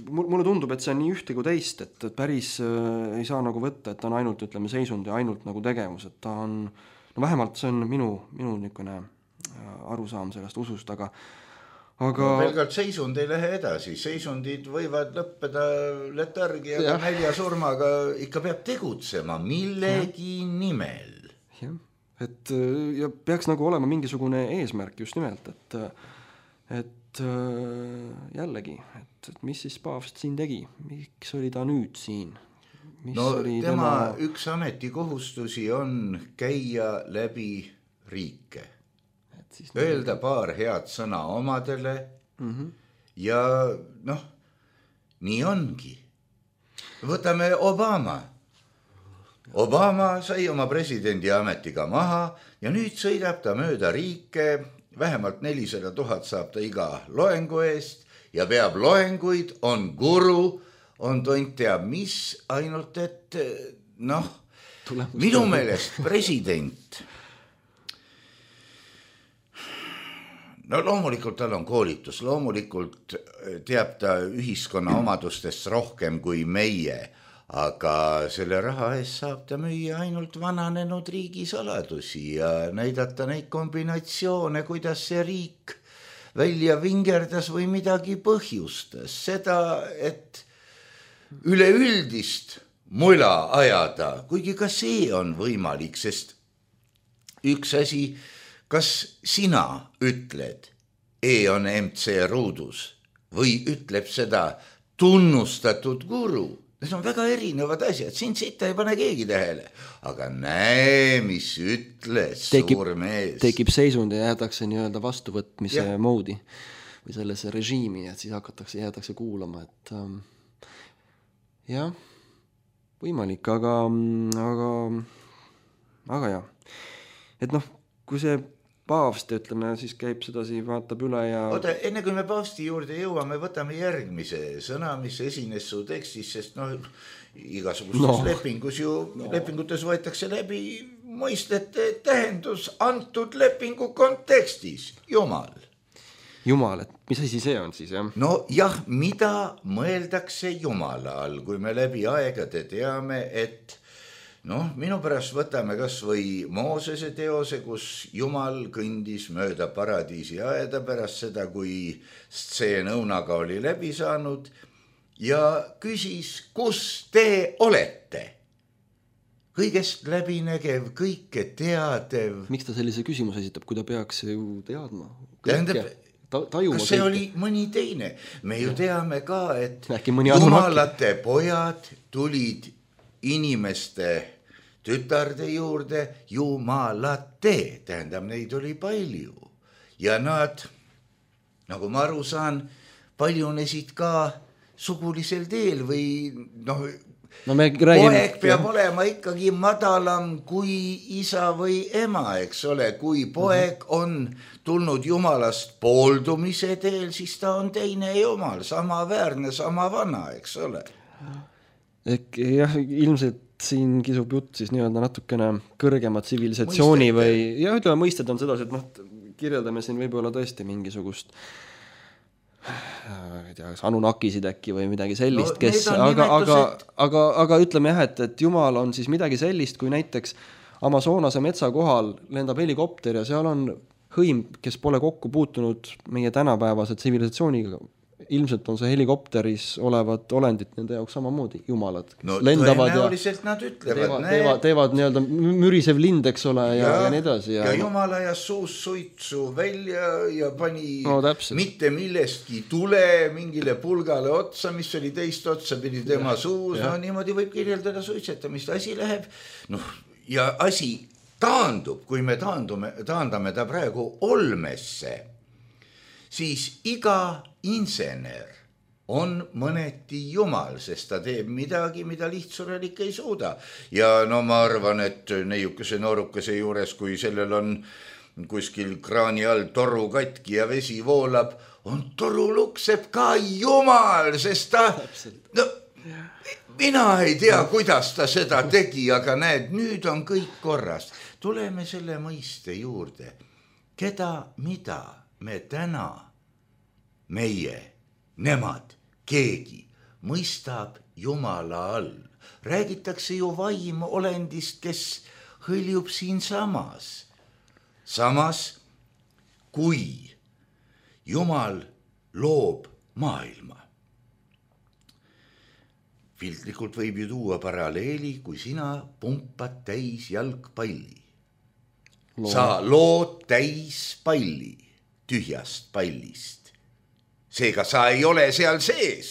mulle tundub, et see on nii ühte kui teist, et päris ei saa nagu võtta, et ta on ainult, ütleme, seisund ja ainult nagu tegevus, et ta on, vähemalt see on minu niisugune arusaam sellest usust, aga pelgalt seisund ei lähe edasi, seisundid võivad lõppeda letargiaga, näljasurmaga, ikka peab tegutsema millegi nimel. Jah, ja peaks nagu olema mingisugune eesmärk just nimelt, et jällegi, et mis siis paavst siin tegi, miks oli ta nüüd siin? Tema üks ametikohustusi on käia läbi riike. Öelda paar head sõna omadele ja nii ongi. Võtame Obama. Obama sai oma presidendi ametiga maha ja nüüd sõidab ta mööda riike, vähemalt 400 000 saab ta iga loengu eest ja peab loenguid, on guru, on tont teab mis, ainult et minu meelest president loomulikult tal on koolitus, loomulikult teab ta ühiskonna omadustest rohkem kui meie, aga selle raha eest saab ta müüa ainult vananenud riigisaladusi ja näidata neid kombinatsioone, kuidas see riik välja vingerdas või midagi põhjustas. Seda, et üleüldist mula ajada, kuigi ka see on võimalik, sest üks asi, kas sina ütled, on MC ruudus või ütleb seda tunnustatud guru? Need on väga erinevad asjad, siin sita ei pane keegi tähele. Aga näe, mis ütles suur mees. Tekib seisund ja jäädakse nii-öelda vastuvõtmise moodi või sellesse režiimi, et siis jäädakse kuulama, et jah, võimalik, aga jah. Et kui see paavst, ütleme, siis käib sedasi, vaatab üle ja... Oota, enne kui me paavsti juurde jõuame, võtame järgmise sõna, mis esines su tekstis, sest igasugustes lepingutes võetakse läbi mõistete tähendus antud lepingu kontekstis. Jumal. Jumal, et mis asi see on siis, jah? Jah, mida mõeldakse Jumala all, kui me läbi aegade teame, et minu pärast võtame kas või Moosese teose, kus Jumal kõndis mööda paradiisi aeda pärast seda, kui stseen õunaga oli läbi saanud ja küsis, kus te olete? Kõigest läbinägev, kõike teadev. Miks ta sellise küsimuse esitab, kui ta peaks ju teadma? Kas see oli mõni teine? Me ju teame ka, et jumalate pojad tulid inimeste tütarde juurde jumalate, tähendab, neid oli palju. Ja nad, nagu ma aru saan, paljunesid ka sugulisel teel või poeg peab olema ikkagi madalam kui isa või ema, eks ole. Kui poeg on tulnud jumalast pooldumise teel, siis ta on teine jumal, sama väärne, sama vana, eks ole. Jah, ilmselt siin kisub jutt siis nii-öelda natukene kõrgema tsivilisatsiooni või, ja ütleme, mõisted on sedasi, et kirjeldame siin võib-olla tõesti mingisugust ei tea, kas Anunnakisid äkki või midagi sellist, kes, aga ütleme jah, et Jumal on siis midagi sellist, kui näiteks Amazonase metsa kohal lendab helikopter ja seal on hõim, kes pole kokku puutunud meie tänapäevase tsivilisatsiooniga. Ilmselt on see helikopteris olevad olendid nende jaoks samamoodi, jumalad. No tõenäoliselt nad ütlevad. Teevad nii-öelda mürisev lind, eks ole, ja nii edasi. Ja Jumal ajas suus suitsu välja ja pani mitte millestki tule mingile pulgale otsa, mis oli teist otsa pidi tema suus. No niimoodi võib kirjeldada suitsetamist. Asi läheb, ja asi taandub, kui me taandame ta praegu olmesse, siis iga insener on mõneti jumal, sest ta teeb midagi, mida lihtsurelik ei suuda. Ja ma arvan, et neiukese noorukese juures, kui sellel on kuskil kraani all toru katki ja vesi voolab, on toru lukseb ka jumal, sest ta... mina ei tea, kuidas ta seda tegi, aga näed, nüüd on kõik korras. Tuleme selle mõiste juurde. Keda, mida me täna, meie, nemad, keegi mõistab Jumala all. Räägitakse ju vaimolendist, kes hõljub siin samas. Samas, kui Jumal loob maailma. Filtlikult võib ju tuua paralleeli, kui sina pumpad täis jalgpalli. Sa lood täis palli tühjast pallist. Seega sa ei ole seal sees.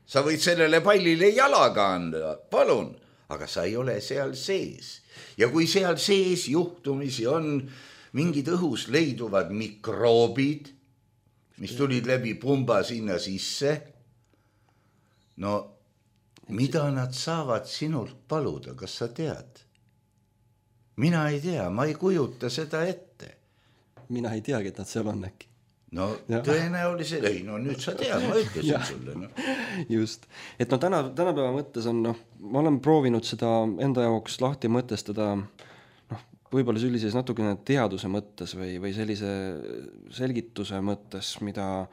Sa võid sellele pallile jalaga anda, palun, aga sa ei ole seal sees. Ja kui seal sees juhtumisi on mingid õhus leiduvad mikroobid, mis tulid läbi pumba sinna sisse, mida nad saavad sinult paluda, kas sa tead? Mina ei tea, ma ei kujuta seda ette. Mina ei teagi, et nad seal on äkki. Tõenäoliselt, nüüd sa tead, ma ütlesin sulle. Just, et tänapäeva mõttes on, ma olen proovinud seda enda jaoks lahti mõtestada, võib-olla sellises natukene teaduse mõttes või sellise selgituse mõttes, mida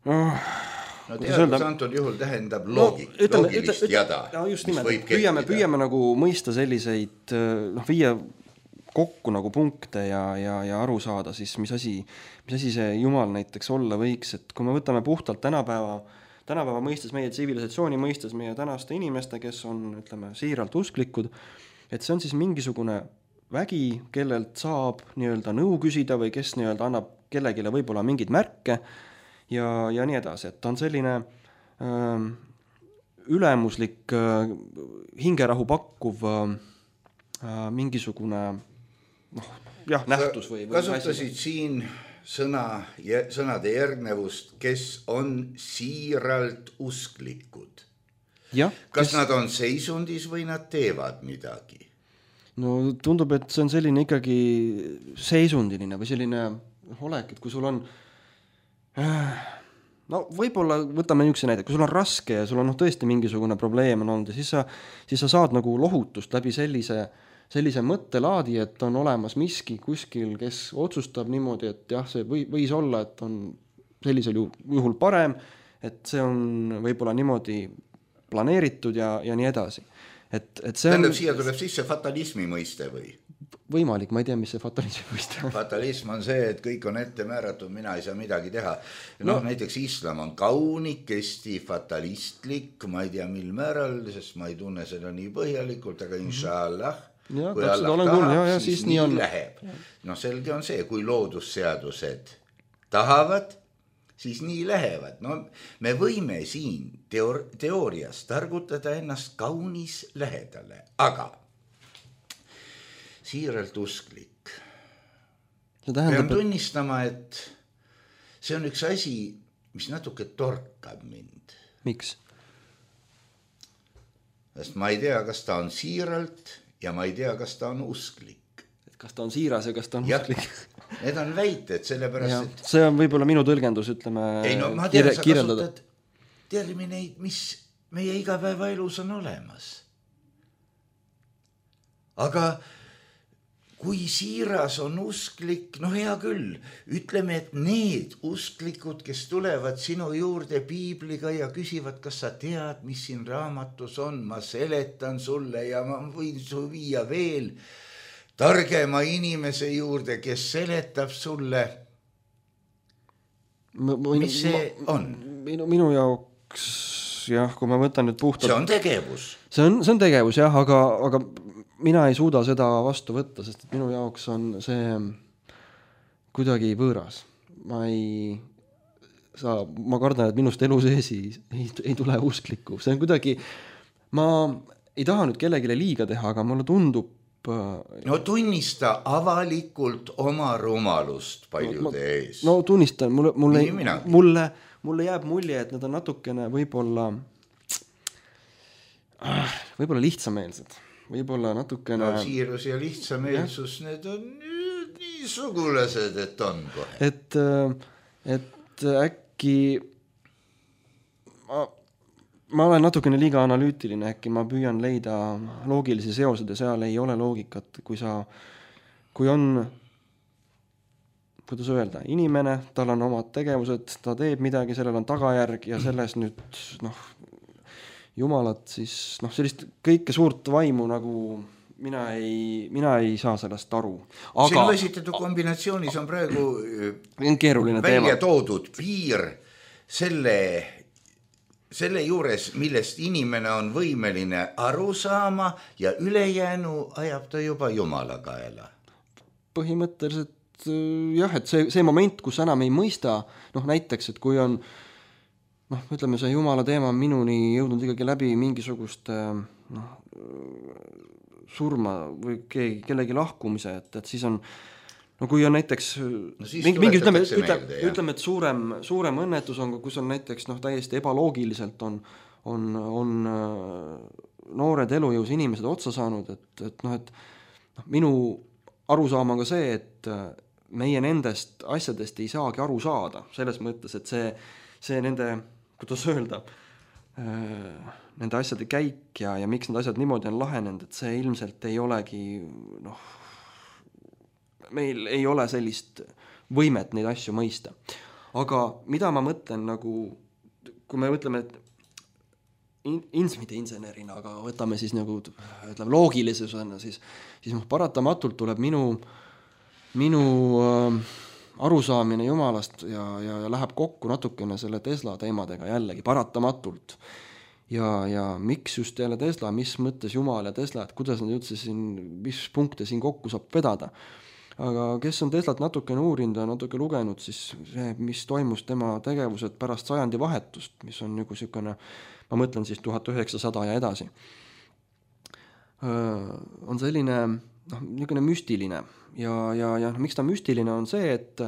teadus antud juhul tähendab loogilist jada. Just nimelt, püüame nagu mõista selliseid, viia kokku nagu punkte ja aru saada siis, mis asi see Jumal näiteks olla võiks, et kui me võtame puhtalt tänapäeva mõistes, meie tsivilisatsiooni mõistes, meie tänaste inimeste, kes on, ütleme, siiralt usklikud, et see on siis mingisugune vägi, kellelt saab nii-öelda nõu küsida või kes nii-öelda annab kellegile võib-olla mingid märke ja nii edasi, et ta on selline ülemuslik hingerahu pakkuv mingisugune nähtus või kasutasid siin sõnade järgnevust, kes on siiralt usklikud. Kas nad on seisundis või nad teevad midagi? Tundub, et see on selline ikkagi seisundiline või selline olek, et kui sul on võib-olla võtame niisuguse näide, kui sul on raske ja sul on tõesti mingisugune probleem on olnud ja siis sa saad nagu lohutust läbi sellise mõttelaadi, et on olemas miski kuskil, kes otsustab niimoodi, et jah, see võis olla, et on sellisel juhul parem, et see on võib-olla niimoodi planeeritud ja nii edasi. Tähendab, siia tuleb sisse fatalismi mõiste või? Võimalik, ma ei tea, mis see fatalismi mõiste on. Fatalism on see, et kõik on ette määratud, mina ei saa midagi teha. Näiteks islam on kaunikesti fatalistlik, ma ei tea mil määral, sest ma ei tunne seda nii põhjalikult, aga inshallah, kui Allah tahab, siis nii läheb. Selge on see, kui loodusseadused tahavad, siis nii lähevad. Me võime siin teoorias targutada ennast kaunis lähedale, aga siiralt usklik. Pean tunnistama, et see on üks asi, mis natuke torkab mind. Miks? Sest ma ei tea, kas ta on siiralt ja ma ei tea, kas ta on usklik. Et kas ta on siiras ja kas ta on usklik? Need on väited, sellepärast, et... See on võib-olla minu tõlgendus, ütleme, ma tean, sa kasutad termineid, mis meie igapäevaelus on olemas. aga kui siiras on usklik, hea küll, ütleme, et need usklikud, kes tulevad sinu juurde piibliga ja küsivad, kas sa tead, mis siin raamatus on, ma seletan sulle ja ma võin su viia veel targema inimese juurde, kes seletab sulle. Mis see on? Minu jaoks, jah, kui ma võtan nüüd puhtalt... See on tegevus. See on tegevus, jah, aga mina ei suuda seda vastu võtta, sest minu jaoks on see kuidagi võõras. Ma kardan, et minust elu sees ei tule usklikku. See on kuidagi, ma ei taha nüüd kellelegi liiga teha, aga mulle tundub... No tunnista avalikult oma rumalust paljude ees. No tunnistan, mulle jääb mulje, et nad on natukene võib-olla lihtsameelsed. Võib-olla natukene... No siirus ja lihtsameelsus, need on nii sugulased, et on kohe. Et äkki... Ma olen natukene liiga analüütiline, äkki ma püüan leida loogilisi seosed ja seal ei ole loogikat, kui on, kuidas öelda, inimene, tal on omad tegevused, ta teeb midagi, sellel on tagajärg ja selles nüüd, jumalat siis, sellist kõike suurt vaimu nagu mina ei saa sellest aru. Sinu esitatud kombinatsioonis on praegu keeruline välja toodud piir selle juures, millest inimene on võimeline aru saama ja ülejäänu ajab ta juba Jumala kaela. Põhimõtteliselt jah, et see moment, kus enam ei mõista, näiteks, et kui on ütleme, see Jumala teema on minuni jõudnud ikkagi läbi mingisugust surma või kellegi lahkumise, et siis on kui on näiteks ütleme, et suurem õnnetus on, kus on näiteks täiesti ebaloogiliselt on noored elujõus inimesed otsa saanud, et minu arusaam on ka see, et meie nendest asjadest ei saagi aru saada, selles mõttes, et see nende, kuidas öelda, nende asjade käik ja miks need asjad niimoodi on lahenenud, et see ilmselt ei olegi meil ei ole sellist võimet neid asju mõista. Aga mida ma mõtlen kui me mõtleme, et mitte insenerina, aga võtame siis loogilisusena, siis paratamatult tuleb minu arusaamine Jumalast ja läheb kokku natukene selle Tesla teemadega jällegi paratamatult. Ja miks just jälle Tesla, mis mõttes Jumal ja Tesla, et kuidas nad üldse siin, mis punkte siin kokku saab vedada. Aga kes on Teslat natukene uurinud ja natuke lugenud, siis see, mis toimus tema tegevused pärast sajandi vahetust, mis on niisugune, ma mõtlen siis 1900 ja edasi, on selline niisugune müstiline. Ja miks ta müstiline on see, et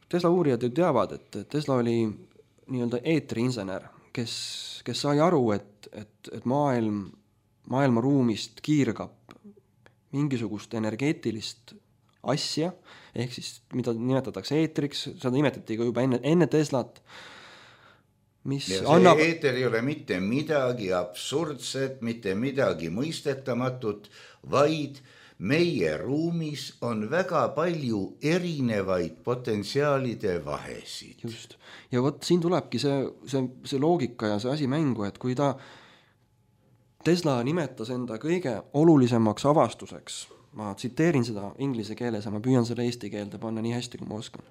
Tesla uurijad ju teavad, et Tesla oli nii-öelda eetriinsener, kes sai aru, et maailma ruumist kiirgab mingisugust energeetilist asja, ehk siis mida nimetatakse eetriks, seda nimetati ka juba enne Teslat, mis ja see annab... eeter ei ole mitte midagi absurdset, mitte midagi mõistetamatut, vaid meie ruumis on väga palju erinevaid potentsiaalide vahesid. Just. Ja siin tulebki see loogika ja see asi mängu, et kui Tesla nimetas enda kõige olulisemaks avastuseks, ma tsiteerin seda inglise keeles ja ma püüan selle eesti keelde panna nii hästi, kui ma oskan.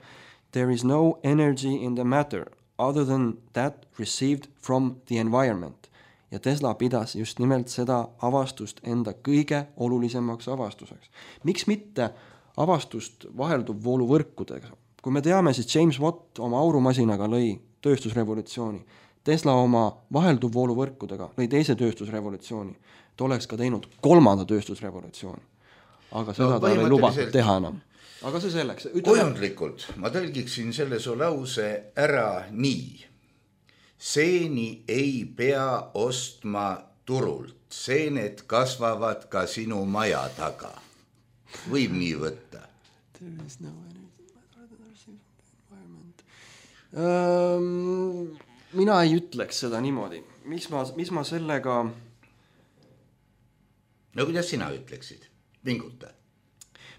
There is no energy in the matter other than that received from the environment. Ja Tesla pidas just nimelt seda avastust enda kõige olulisemaks avastuseks. Miks mitte avastust vahelduvvooluvõrkudega? Kui me teame, siis James Watt oma aurumasinaga lõi tööstusrevolutsiooni. Tesla oma vahelduvvooluvõrkudega lõi teise tööstusrevolutsiooni. Ta oleks ka teinud 3. tööstusrevolutsiooni. Aga seda ta ei lubatud teha enam. Aga see selleks. Kujundlikult ma tõlgiksin selle su lause ära nii. Seeni ei pea ostma turult. Seened kasvavad ka sinu maja taga. Võib nii võtta. There is no energy. Mina ei ütleks seda niimoodi. Mis ma sellega... No kuidas sina ütleksid? Vinguta.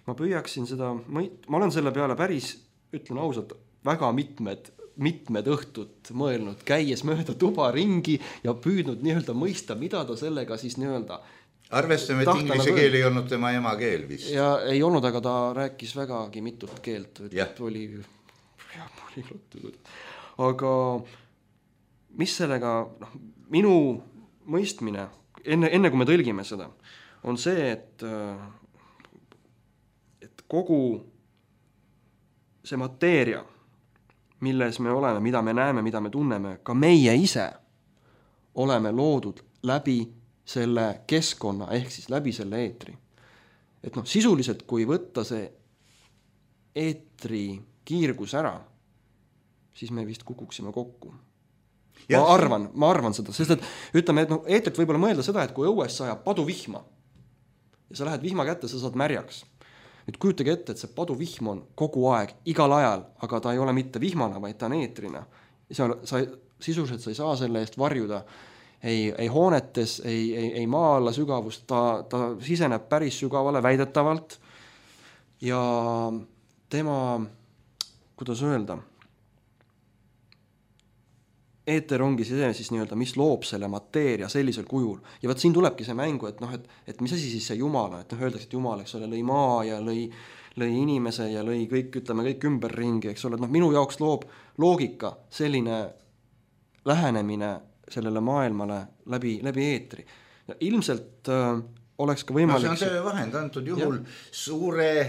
Ma püüaksin seda, ma olen selle peale päris, ütlen ausalt, väga mitmed õhtut mõelnud, käies mööda tuba ringi ja püüdnud nii-öelda mõista, mida ta sellega siis nii-öelda arvestame, et inglise keel ei olnud tema emakeel vist. Ja ei olnud, aga ta rääkis vägagi mitut keelt. Aga mis sellega, minu mõistmine, enne kui me tõlgime seda, on see, et kogu see mateeria, milles me oleme, mida me näeme, mida me tunneme, ka meie ise oleme loodud läbi selle keskkonna, ehk siis läbi selle eetri. Et sisuliselt, kui võtta see eetri kiirgus ära, siis me vist kukuksime kokku. Ma arvan seda, sest et ütleme, et eetrit võib-olla mõelda seda, et kui õues sajab paduvihma ja sa lähed vihma kätte, sa saad märjaks. Nüüd kujutage ette, et see paduvihm on kogu aeg, igal ajal, aga ta ei ole mitte vihmana, vaid ta on eetrina. Sisuliselt sa ei saa selle eest varjuda ei hoonetes, ei maa alla sügavust, ta siseneb päris sügavale väidetavalt ja tema, kuidas öelda, eeter ongi see siis nii-öelda, mis loob selle mateeria sellisel kujul. Ja siin tulebki see mängu, et mis asi siis see Jumala, et öeldakse, et Jumal, eks ole, lõi maa ja lõi inimese ja lõi kõik, ütleme, kõik ümberringi, eks ole, minu jaoks loob loogika selline lähenemine sellele maailmale läbi eetri. Ja ilmselt oleks ka võimalik... see on töövahend antud juhul suure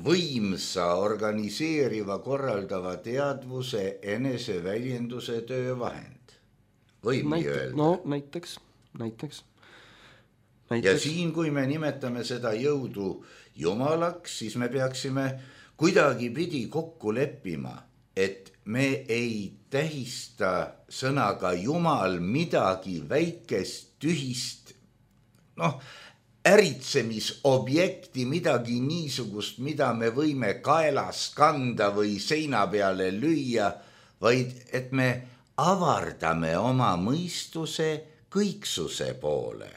võimsa, organiseeriva, korraldava teadvuse, eneseväljenduse töövahend. Võib nii öelda. No näiteks. Ja siin, kui me nimetame seda jõudu Jumalaks, siis me peaksime kuidagi pidi kokku leppima, et me ei tähista sõnaga Jumal midagi väikest, tühist, äritsemisobjekti, midagi niisugust, mida me võime kaelas kanda või seina peale lüüa, vaid et me avardame oma mõistuse kõiksuse poole.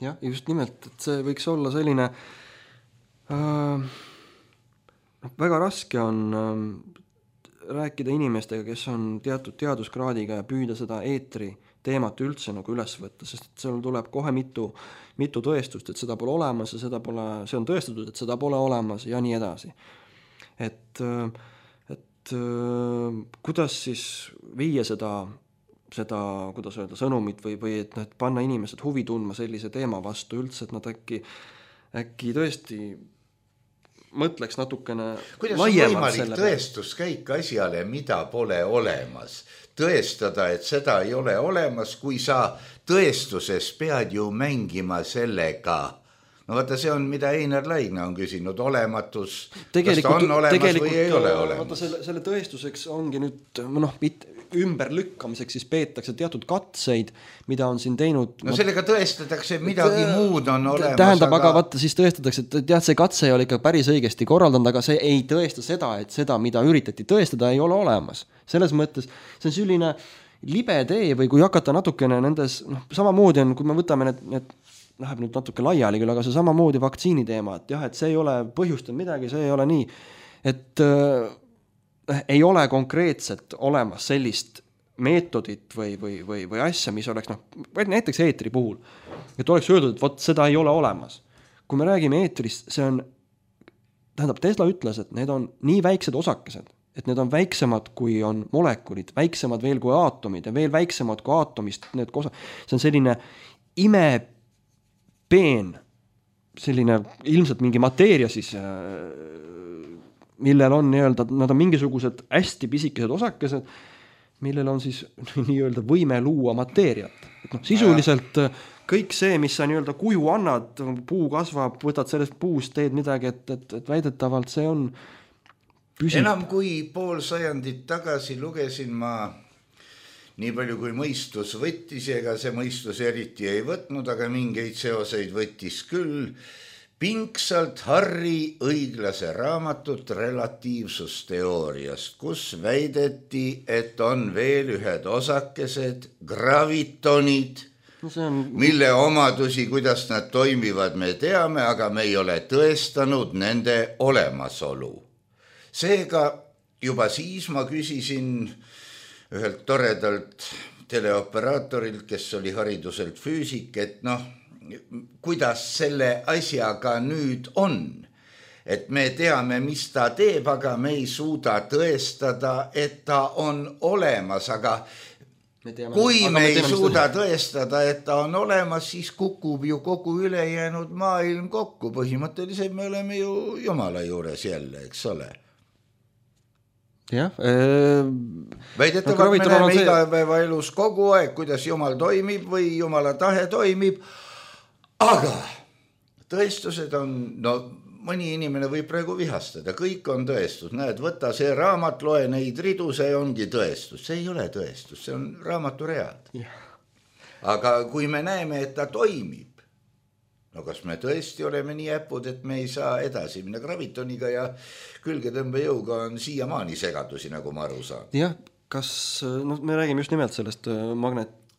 Jah, just nimelt, et see võiks olla selline väga raske on rääkida inimestega, kes on teatud teaduskraadiga ja püüda seda eetri teemat üldse nagu üles võtta, sest et seal tuleb kohe mitu tõestust, et seda pole olemas ja see on tõestatud, et seda pole olemas ja nii edasi. Et kuidas siis viia seda, kuidas öelda, sõnumit või et panna inimesed huvi tundma sellise teema vastu üldse, et nad äkki tõesti mõtleks natukene laiemalt selle. Kuidas on võimalik tõestuskäik asjale, mida pole olemas? Tõestada, et seda ei ole olemas, kui sa tõestuses pead ju mängima sellega. No vaata, see on, mida Einar Laigna on küsinud, olematus, kas ta on olemas või ei ole olemas. Vaata, selle tõestuseks ongi nüüd, ümberlükkamiseks siis peetakse teatud katseid, mida on siin teinud. No sellega tõestatakse, midagi muud on olemas. Tähendab, aga vaata, siis tõestatakse, et see katse ei ole ikka päris õigesti korraldanud, aga see ei tõesta seda, et seda, mida üritati tõestada, ei ole olemas. Selles mõttes, see on selline libe tee või kui hakata natukene nendes, samamoodi on, kui me võtame need läheb nüüd natuke laiali küll, aga see samamoodi vaktsiini teema, et jah, et see ei ole põhjustanud midagi, see ei ole nii, et ei ole konkreetselt olemas sellist meetodit või asja, mis oleks näiteks eetri puhul, et oleks öeldud, et vot seda ei ole olemas. Kui me räägime eetrist, see on, tähendab, Tesla ütles, et need on nii väiksed osakesed, et need on väiksemad kui on molekulid, väiksemad veel kui aatomid ja veel väiksemad kui aatomist, see on selline imepeen, selline ilmselt mingi mateeria siis, millel on nii-öelda, nad on mingisugused hästi pisikesed osakesed, millel on siis nii-öelda võime luua mateeriat. Et sisuliselt kõik see, mis sa nii-öelda kuju annad, puu kasvab, võtad sellest puust, teed midagi, et väidetavalt see on püsib. Enam kui pool sajandit tagasi lugesin ma nii palju kui mõistus võttis, ega see mõistus eriti ei võtnud, aga mingeid seoseid võttis küll. Pingsalt Harri õiglase raamatut relatiivsusteooriast, kus väideti, et on veel ühed osakesed, gravitonid, mille omadusi, kuidas nad toimivad, me teame, aga me ei ole tõestanud nende olemasolu. Seega juba siis ma küsisin ühelt toredalt teleoperaatorilt, kes oli hariduselt füüsik, et kuidas selle asjaga nüüd on. Et me teame, mis ta teeb, aga me ei suuda tõestada, et ta on olemas, aga kui me ei suuda tõestada, et ta on olemas, siis kukub ju kogu ülejäänud maailm kokku. Põhimõtteliselt me oleme ju Jumala juures jälle, eks ole. Jah. Väidetavalt me näeme igapäeva elus kogu aeg, kuidas Jumal toimib või Jumala tahe toimib, aga tõestused on, mõni inimene võib praegu vihastada, kõik on tõestus, näed, võta see raamat, loe neid ridu, see ongi tõestus, see ei ole tõestus, see on raamatu read. Aga kui me näeme, et ta toimib, kas me tõesti oleme nii äpud, et me ei saa edasi minna gravitoniga ja külgetõmbejõuga on siiamaani segadusi, nagu ma aru saan. Jah, me räägime just nimelt sellest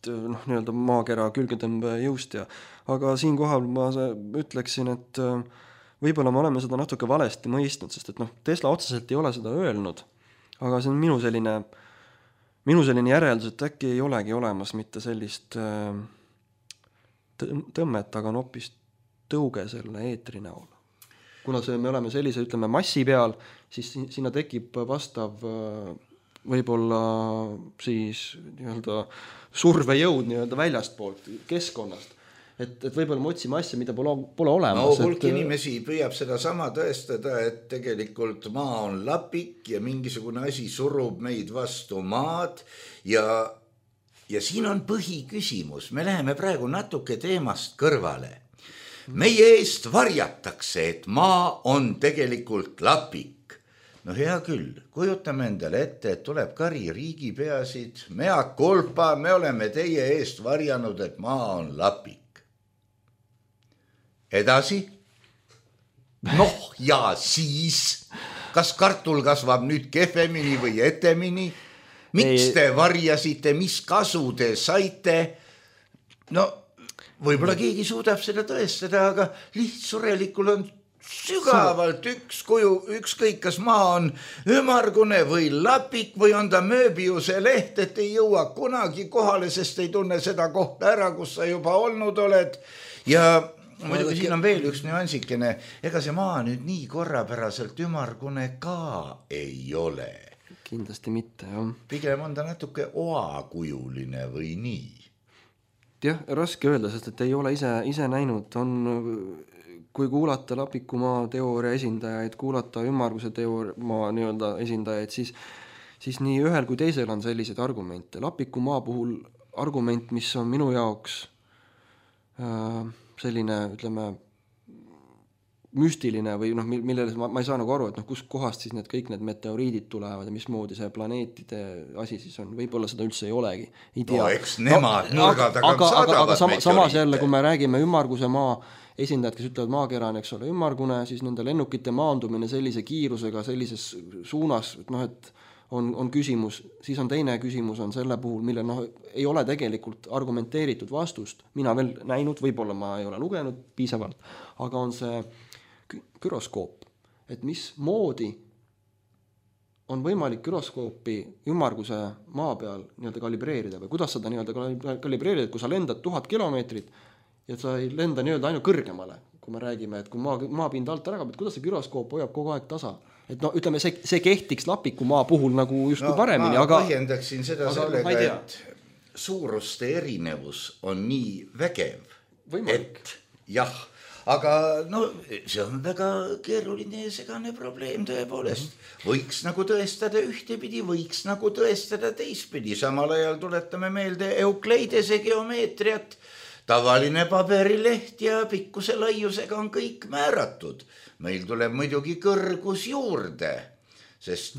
nii-öelda maakera külgetõmbejõust aga siinkohal ma ütleksin, et võib-olla me oleme seda natuke valesti mõistnud, sest et Tesla otseselt ei ole seda öelnud, aga see on minu selline järeldus, et äkki ei olegi olemas mitte sellist tõmmet, aga on hoopis tõuge selle eetri näol. Kuna me oleme sellise, ütleme, massi peal, siis sinna tekib vastav võib-olla siis nii-öelda survejõud nii-öelda väljastpoolt keskkonnast. Et võib-olla me otsime asja, mida pole olemas. Hulk inimesi püüab seda sama tõestada, et tegelikult maa on lapik ja mingisugune asi surub meid vastu maad ja siin on põhiküsimus. Me läheme praegu natuke teemast kõrvale. Meie eest varjatakse, et maa on tegelikult lapik. Hea küll, kujutame endale ette, et tuleb kari riigipeasid, mea culpa, me oleme teie eest varjanud, et maa on lapik. Edasi? Ja siis, kas kartul kasvab nüüd kehvemini või etemini? Miks te varjasite, mis kasu te saite? Võib-olla keegi suudab seda tõestada, aga lihtsurelikul on sügavalt üks kuju, ükskõik kas maa on ümargune või lapik või on ta mööbiuse leht, et ei jõua kunagi kohale, sest ei tunne seda kohta ära, kus sa juba olnud oled. Ja muidugi siin on veel üks nüansikene, ega see maa nüüd nii korrapäraselt ümargune ka ei ole. Kindlasti mitte, jah. Pigem on ta natuke oakujuline või nii. Jah, raske öelda, sest et ei ole ise näinud. Kui kuulata lapikumaa teooria esindajaid, kuulata ümmarguse teooria nii-öelda esindajaid, siis nii ühel kui teisel on selliseid argumente. Lapikumaa puhul argument, mis on minu jaoks selline, ütleme, müstiline või millele ma ei saa nagu aru, et kus kohast siis kõik need meteoriidid tulevad ja mismoodi see planeetide asi siis on. Võib-olla seda üldse ei olegi. Ei tea. Eks nemad nurga tagant saadavad meteoriite. Samas jälle, kui me räägime ümmarguse maa esindajad, kes ütlevad maakera on, eks ole, ümmargune, siis nende lennukite maandumine sellise kiirusega, sellises suunas, et on küsimus, siis on teine küsimus on selle puhul, mille ei ole tegelikult argumenteeritud vastust. Mina veel näinud, võib-olla ma ei ole lugenud piisavalt, aga on see gyroskoop, et mis moodi on võimalik gyroskoopi ümmarguse maa peal nii-öelda kalibreerida või kuidas seda nii-öelda kalibreerida, kui sa lendad 1000 kilomeetrit ja sa ei lenda nii-öelda ainult kõrgemale, kui me räägime, et kui maapind alt ära kaob, et kuidas see gyroskoop hoiab kogu aeg tasa. Et ütleme, see kehtiks lapiku maa puhul nagu justkui paremini, aga põhjendaksin seda sellega, et suuruste erinevus on nii vägev, võimalik. Et jah, aga see on väga keeruline ja segane probleem tõepoolest. Võiks nagu tõestada ühtepidi, võiks nagu tõestada teistpidi. Samal ajal tuletame meelde Eukleidese geomeetriat. Tavaline paberileht ja pikkuse laiusega on kõik määratud. Meil tuleb muidugi kõrgus juurde, sest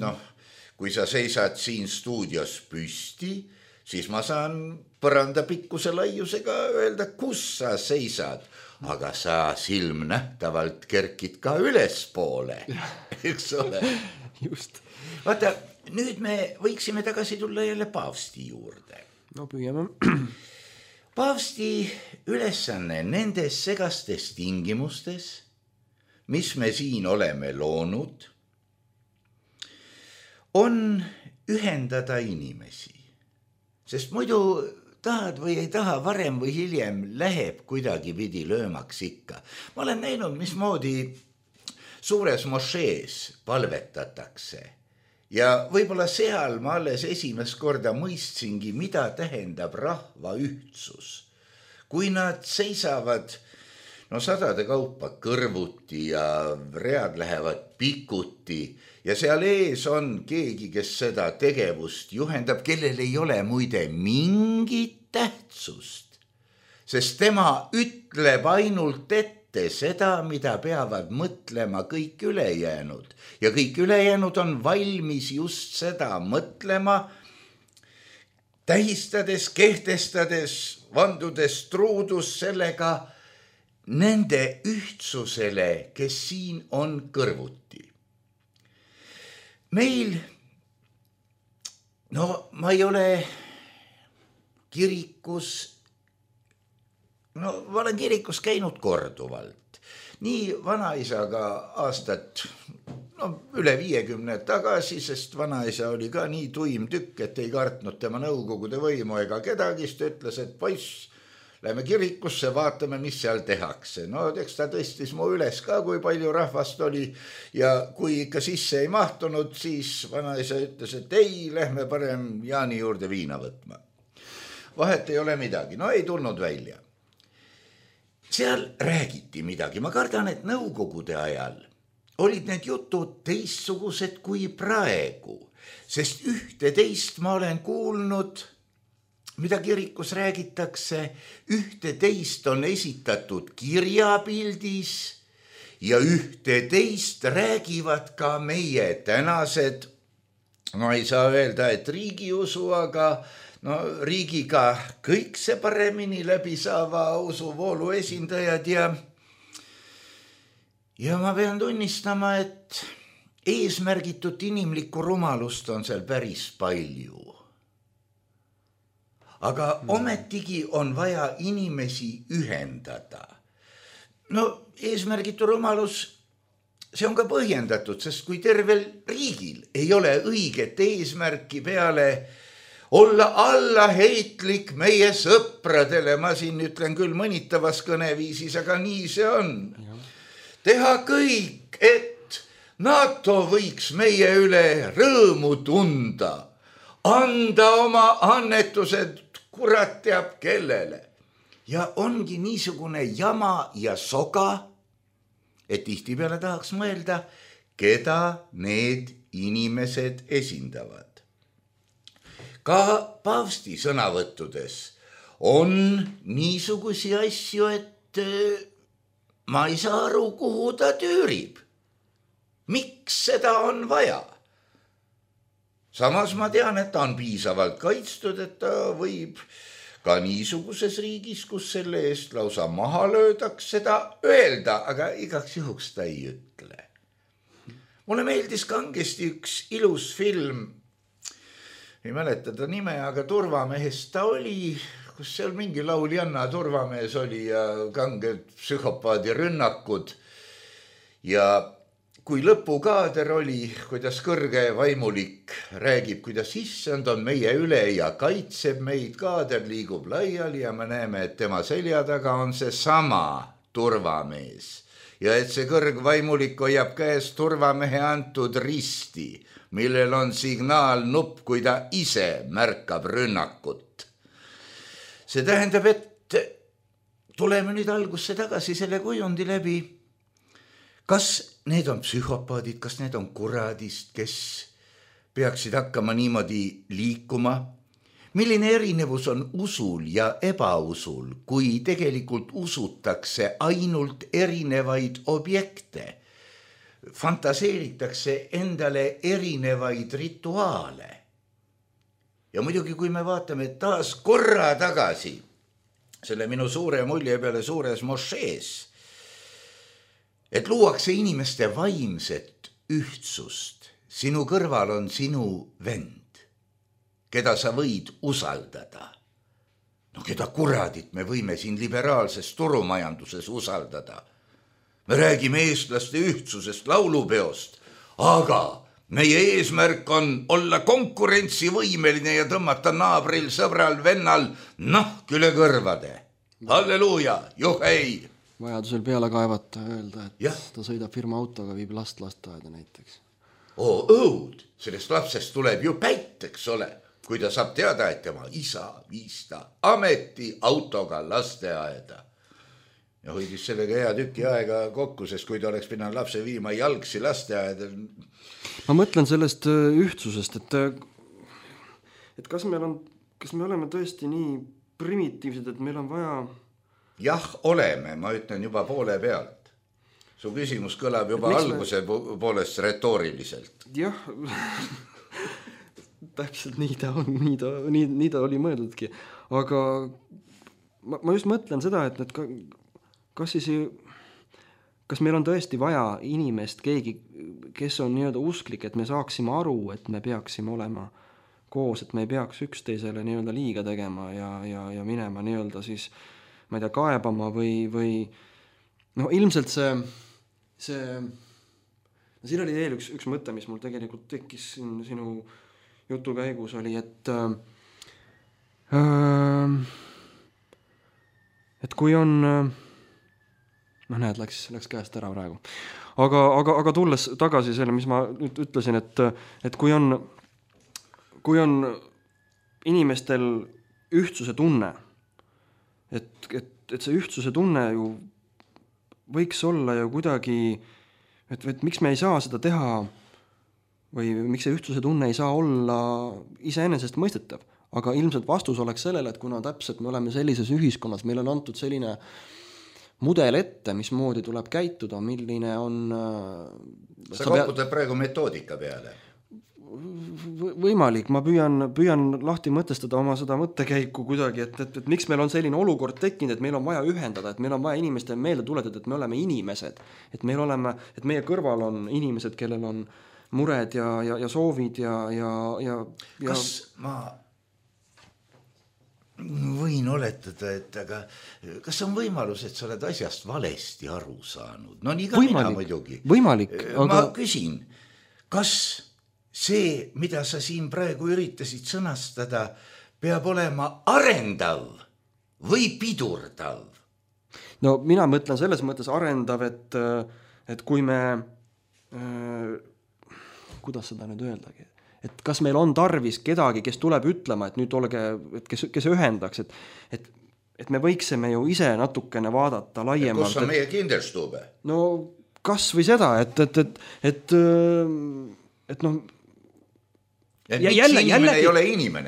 kui sa seisad siin stuudios püsti, siis ma saan põranda pikkuse laiusega öelda, kus sa seisad. Aga sa silmnähtavalt kerkid ka ülespoole, eks ole. Just. Vaata, nüüd me võiksime tagasi tulla jälle paavsti juurde. Püüame. paavsti ülesanne nendes segastes tingimustes, mis me siin oleme loonud, on ühendada inimesi. Sest muidu tahad või ei taha, varem või hiljem läheb kuidagi pidi löömaks ikka. Ma olen näinud, mismoodi suures mošees palvetatakse. Ja võib-olla seal ma alles esimest korda mõistsingi, mida tähendab rahva ühtsus. Kui nad seisavad sadade kaupa kõrvuti ja read lähevad pikuti ja seal ees on keegi, kes seda tegevust juhendab, kellel ei ole muide mingit tähtsust, sest tema ütleb ainult ette seda, mida peavad mõtlema kõik ülejäänud ja kõik ülejäänud on valmis just seda mõtlema, tähistades, kehtestades, vandudes truudus sellega nende ühtsusele, kes siin on kõrvuti. Meil, ma ei ole kirikus, ma olen kirikus käinud korduvalt. Nii vanaisaga aastat üle 50 tagasi, sest vanaisa oli ka nii tuim tükk, et ei kartnud tema nõukogude võimu ega kedagi, ta ütles, et poiss, lähme kirikusse, vaatame, mis seal tehakse. Eks ta tõstis mu üles ka, kui palju rahvast oli ja kui ikka sisse ei mahtunud, siis vanaisa ütles, et ei, lähme parem Jaani juurde viina võtma. Vahet ei ole midagi, ei tulnud välja. Seal räägiti midagi, ma kardan, et nõukogude ajal olid need jutud teistsugused kui praegu, sest ühte teist ma olen kuulnud, mida kirikus räägitakse, ühte teist on esitatud kirjapildis ja ühte teist räägivad ka meie tänased, ei saa öelda, et riigiusu, aga riigiga kõik see paremini läbi saava usuvoolu esindajad ja ma pean tunnistama, et eesmärgitut inimlikku rumalust on seal päris palju. Aga ometigi on vaja inimesi ühendada. Eesmärgitu rumalus, see on ka põhjendatud, sest kui tervel riigil ei ole õiget eesmärki peale olla allaheitlik meie sõpradele, ma siin ütlen küll mõnitavas kõneviisis, aga nii see on. Teha kõik, et NATO võiks meie üle rõõmu tunda, anda oma annetused kurat teab kellele. Ja ongi niisugune jama ja soga, et tihtipeale tahaks mõelda, keda need inimesed esindavad. Ka paavsti sõnavõttudes on niisugusi asju, et ma ei saa aru, kuhu ta tüürib. Miks seda on vaja? Samas ma tean, et ta on piisavalt kaitstud, et ta võib ka niisuguses riigis, kus selle eest lausa maha löödaks, seda öelda, aga igaks juhuks ta ei ütle. Mulle meeldis kangesti üks ilus film, ei mäleta ta nime, aga Turvamehest ta oli, kus seal mingi lauljanna turvamees oli ja kanged psühhopaadi rünnakud ja kui lõpukaader oli, kuidas kõrge vaimulik räägib, kuidas issand on meie üle ja kaitseb meid, kaader liigub laiali ja me näeme, et tema selja taga on see sama turvamees. Ja et see kõrgvaimulik hoiab käes turvamehe antud risti, millel on signaalnupp, kui ta ise märkab rünnakut. See tähendab, et tuleme nüüd algusse tagasi selle kujundi läbi. Kas need on psühhopaadid, kas need on kuradist, kes peaksid hakkama niimoodi liikuma? Milline erinevus on usul ja ebausul, kui tegelikult usutakse ainult erinevaid objekte? Fantaseeritakse endale erinevaid rituaale. Ja muidugi, kui me vaatame taas korra tagasi selle minu suure mulje peale suures mošees, et luuakse inimeste vaimset ühtsust. Sinu kõrval on sinu vend, keda sa võid usaldada. No keda kuradit me võime siin liberaalses turumajanduses usaldada? Me räägime eestlaste ühtsusest laulupeost, aga meie eesmärk on olla konkurentsivõimeline ja tõmmata naabril, sõbral, vennal nahk üle kõrvade. Halleluuja, juhei! Vajadusel peale kaevata, öelda, et ja. Ta sõidab firma autoga, viib last lasteaeda näiteks. Õud, sellest lapsest tuleb ju päiteks ole, kui ta saab teada, et tema isa viis ta ameti autoga lasteaeda. Ja hoidis sellega hea tüki aega kokku, sest kui ta oleks pidanud lapse viima jalgsi lasteaeda. Ma mõtlen sellest ühtsusest, et kas me oleme tõesti nii primitiivsed, et meil on vaja... Jah, oleme, ma ütlen juba poole pealt. Su küsimus kõlab juba alguse poolest retooriliselt. Jah, täpselt nii ta on, nii ta oli mõeldudki. Aga ma just mõtlen seda, et kas meil on tõesti vaja inimest, keegi, kes on nii-öelda usklik, et me saaksime aru, et me peaksime olema koos, et me ei peaks üksteisele nii-öelda liiga tegema ja minema nii-öelda siis, ma ei tea, kaebama või no ilmselt siin oli veel üks mõte, mis mul tegelikult tekkis sinu jutu käigus oli, et kui on läks käest ära praegu. Aga tulles tagasi selle, mis ma nüüd ütlesin, et kui on inimestel ühtsuse tunne, et see ühtsuse tunne ju võiks olla ju kuidagi, et miks me ei saa seda teha või miks see ühtsuse tunne ei saa olla iseenesest mõistetav, aga ilmselt vastus oleks sellele, et kuna täpselt me oleme sellises ühiskonnas, meil on antud selline mudel ette, mismoodi tuleb käituda, milline on... Sa koputad praegu metoodika peale. Võimalik, ma püüan lahti mõtestada oma seda mõttekäiku kuidagi, et miks meil on selline olukord tekkinud, et meil on vaja ühendada, et meil on vaja inimeste meelde tuletada, et me oleme inimesed, et meie kõrval on inimesed, kellel on mured ja soovid ja... Kas ma võin oletada, et aga kas on võimalus, et sa oled asjast valesti aru saanud? No nii ka mina muidugi. Võimalik, aga... Ma küsin, kas see, mida sa siin praegu üritasid sõnastada, peab olema arendav või pidurdav? No mina mõtlen selles mõttes arendav, et kui me... kuidas seda nüüd öeldagi? Et kas meil on tarvis kedagi, kes tuleb ütlema, et nüüd olge, kes ühendaks, et me võiksime ju ise natukene vaadata laiemalt. Kus on meie kinderstube? No kas või seda, et noh... Ja inimene ei ole inimene.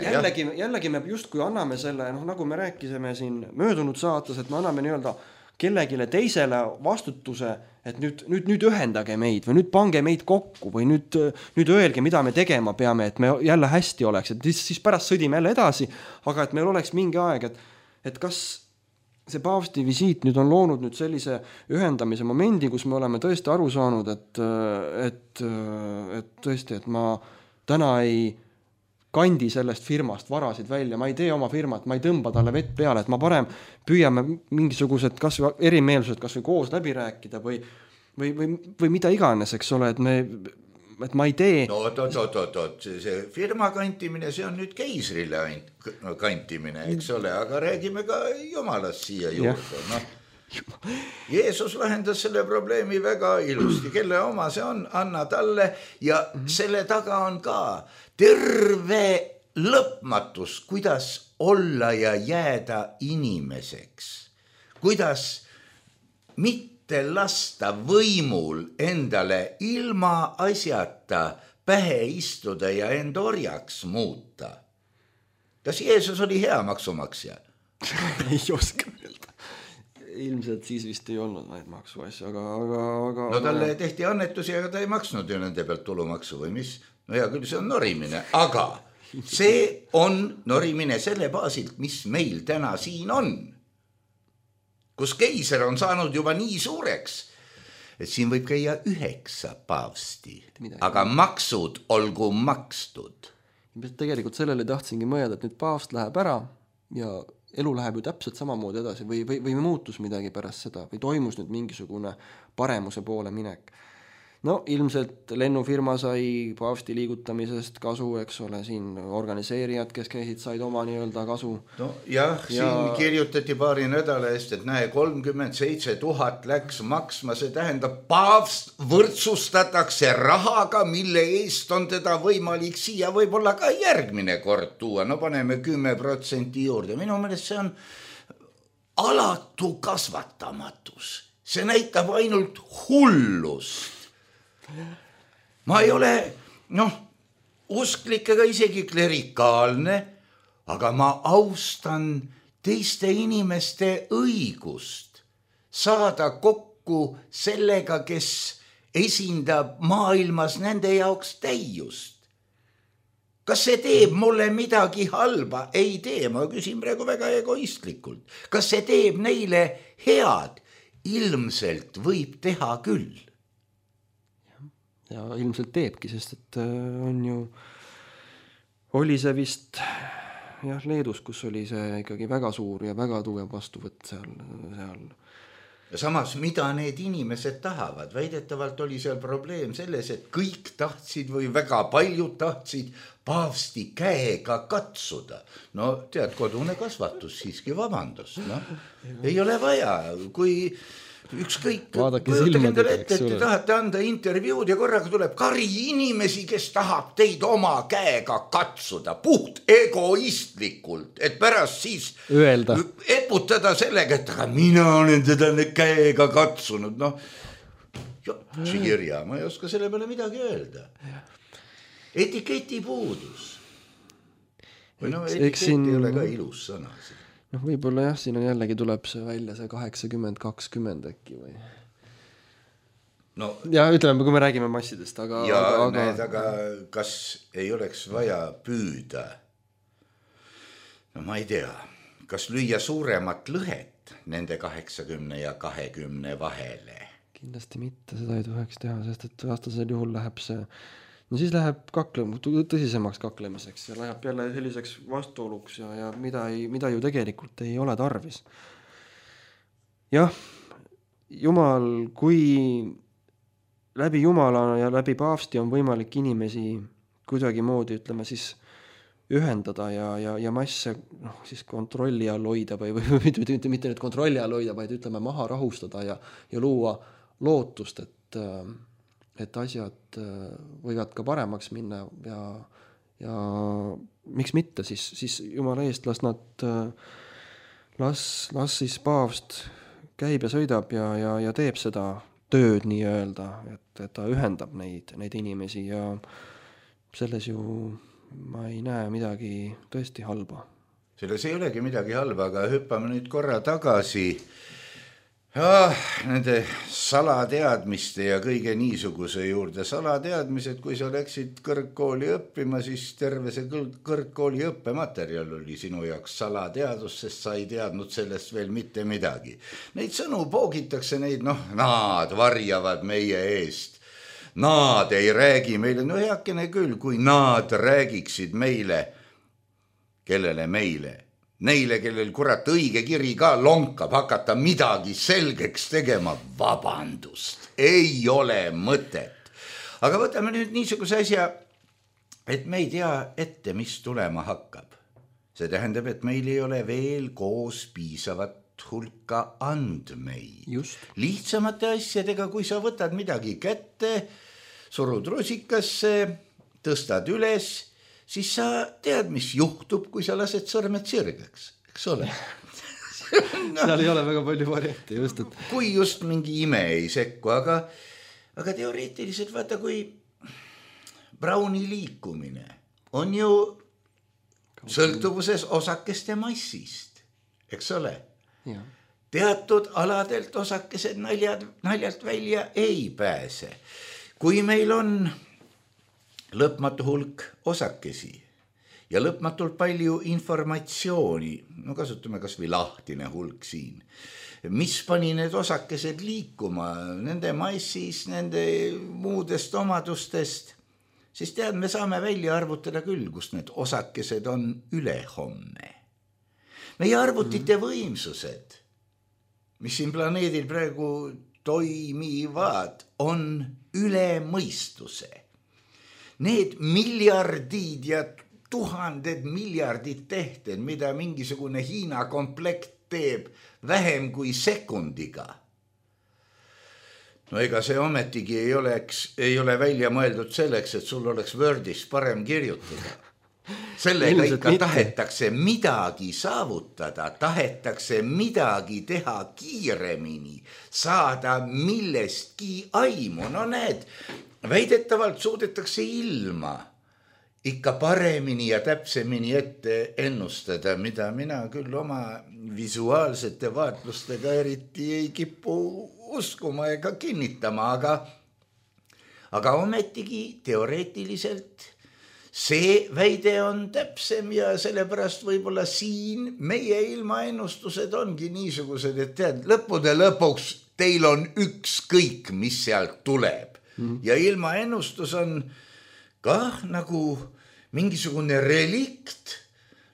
Jällegi me justkui anname selle, nagu me rääkisime siin möödunud saates, et me anname nii-öelda kellegile teisele vastutuse, et nüüd ühendage meid või nüüd pange meid kokku või nüüd öelge, mida me tegema peame, et me jälle hästi oleks, et siis pärast sõdime jälle edasi, aga et meil oleks mingi aeg, et kas see paavsti visiit nüüd on loonud nüüd sellise ühendamise momendi, kus me oleme tõesti aru saanud, et tõesti, et ma täna ei kandi sellest firmast varasid välja, ma ei tee oma firmat, ma ei tõmba talle vett peale, et ma parem püüame mingisugused kas või erimeelsused kas või koos läbi rääkida või mida iganes, eks ole, et ma ei tee... No see firma kantimine, see on nüüd keisrile kantimine, eks ole, aga räägime ka Jumalast siia juurde, noh. Jeesus lahendas selle probleemi väga ilusti, kelle oma see on, anna talle ja selle taga on ka terve lõpmatus, kuidas olla ja jääda inimeseks, kuidas mitte lasta võimul endale ilma asjata pähe istuda ja end orjaks muuta. Kas Jeesus oli hea maksumaksja? Ei oska öelda. Ilmselt siis vist ei olnud neid maksuasju, aga... No talle tehti annetusi, aga ta ei maksnud ju nende pealt tulumaksu või mis? No hea küll, see on norimine, aga see on norimine selle baasilt, mis meil täna siin on. Kus keiser on saanud juba nii suureks, et siin võib käia 9 paavsti, aga maksud olgu makstud. Tegelikult sellele tahtsingi mõelda, et nüüd paavst läheb ära ja elu läheb ju täpselt samamoodi edasi või muutus midagi pärast seda või toimus nüüd mingisugune paremuse poole minek. No ilmselt lennufirma sai paavsti liigutamisest kasu, eks ole, siin organiseerijad, kes käisid, said oma nii-öelda kasu. No jah, siin kirjutati paari nädala eest, et näe, 37 000 läks maksma, see tähendab, paavst võrdsustatakse rahaga, mille eest on teda võimalik siia võib-olla ka järgmine kord tuua. No paneme 10% juurde. Minu meelest see on alatu kasvatamatus. See näitab ainult hullust. Ma ei ole, usklik ega isegi klerikaalne, aga ma austan teiste inimeste õigust saada kokku sellega, kes esindab maailmas nende jaoks täiust. Kas see teeb mulle midagi halba? Ei tee, ma küsin praegu väga egoistlikult. Kas see teeb neile head? Ilmselt võib teha küll. Ja ilmselt teebki, sest et oli see vist Leedus, kus oli see ikkagi väga suur ja väga tugev vastuvõtt seal. Ja samas, mida need inimesed tahavad? Väidetavalt oli seal probleem selles, et kõik tahtsid või väga paljud tahtsid paavsti käega katsuda. No tead, kodune kasvatus siiski, vabandust. Ei ole vaja, kui ükskõik, endale ette, et te tahate anda intervjuud ja korraga tuleb kari inimesi, kes tahab teid oma käega katsuda, puht egoistlikult, et pärast siis öelda, eputada sellega, et aga mina olen teda käega katsunud. See kirja, ma ei oska selle peale midagi öelda. Etiketi puudus. Või etiketi ei ole ka ilus sõna siin. Võib-olla jah, siin on jällegi tuleb see välja see 80-20 äkki või? Ja ütleme, kui me räägime massidest, aga... aga kas ei oleks vaja püüda? Ma ei tea, kas lüüa suuremat lõhet nende 80 ja 20 vahele? Kindlasti mitte, seda ei tohiks teha, sest et vastasel juhul läheb see... No siis läheb tõsisemaks kaklemiseks ja läheb jälle selliseks vastuoluks ja mida ju tegelikult ei ole tarvis. Jah, Jumal, kui läbi Jumala ja läbi paavsti on võimalik inimesi kuidagi moodi, ütleme siis, ühendada ja masse siis kontrolli all hoida või mitte nüüd kontrolli all hoida, vaid ütleme maha rahustada ja luua lootust, et asjad võivad ka paremaks minna ja miks mitte, siis Jumala eest las siis paavst käib ja sõidab ja teeb seda tööd nii-öelda, et ta ühendab neid inimesi ja selles ju ma ei näe midagi tõesti halba. Selles ei olegi midagi halba, aga hüppame nüüd korra tagasi nende salateadmiste ja kõige niisuguse juurde. Salateadmised, kui sa läksid kõrgkooli õppima, siis terve see kõrgkooli õppematerjal oli sinu jaoks salateadus, sest sa ei teadnud sellest veel mitte midagi. Neid sõnu poogitakse, nad varjavad meie eest. Nad ei räägi meile, heakene küll, kui nad räägiksid meile, kellele meile? Neile, kellel kurat õige kiri ka lonkab, hakata midagi selgeks tegema, vabandust, ei ole mõtet. Aga võtame nüüd niisuguse asja, et me ei tea ette, mis tulema hakkab. See tähendab, et meil ei ole veel koos piisavat hulka andmeid. Lihtsamate asjadega, kui sa võtad midagi kätte, surud rusikasse, tõstad üles, siis sa tead, mis juhtub, kui sa lased sõrmed sirgeks, eks ole? Seal ei ole väga palju varianti, just. Et... Kui just mingi ime ei sekku, aga teoreetiliselt vaata, kui Browni liikumine on ju sõltuvuses osakeste massist, eks ole? Ja. Teatud aladelt osakesed naljalt välja ei pääse. Kui meil on lõpmatu hulk osakesi ja lõpmatult palju informatsiooni, kasutame kas või lahtine hulk siin, mis pani need osakesed liikuma, nende massis, nende muudest omadustest, siis tead, me saame välja arvutada küll, kus need osakesed on ülehomme. meie arvutite võimsused, mis siin planeedil praegu toimivad, on üle mõistuse. Need miljardid ja tuhanded miljardid tehted, mida mingisugune Hiina komplekt teeb vähem kui sekundiga. No ega see ometigi ei ole välja mõeldud selleks, et sul oleks Wordis parem kirjutada. Sellega ikka tahetakse midagi saavutada, tahetakse midagi teha kiiremini, saada millestki aimu. No näed, väidetavalt suudetakse ilma ikka paremini ja täpsemini ette ennustada, mida mina küll oma visuaalsete vaatlustega eriti ei kipu uskuma ega kinnitama, aga ometigi teoreetiliselt see väide on täpsem ja sellepärast võib-olla siin meie ilmaennustused ongi niisugused, et tead, lõppude lõpuks teil on ükskõik, mis sealt tuleb. Ja ilmaennustus on kah nagu mingisugune relikt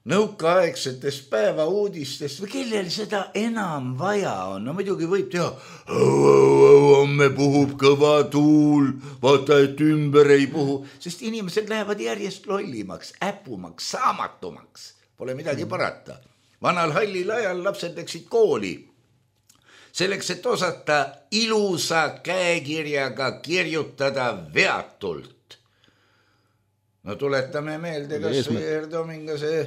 nõukaaegsetest päevauudistest või kellel seda enam vaja on. No muidugi võib teha, homme puhub kõva tuul, vaata, et ümber ei puhu, sest inimesed lähevad järjest lollimaks, äpumaks, saamatumaks. Pole midagi parata. Vanal hallil ajal lapsed läksid kooli. Selleks, et osata ilusa käekirjaga kirjutada veatult. No tuletame meelde, kas Erdominga see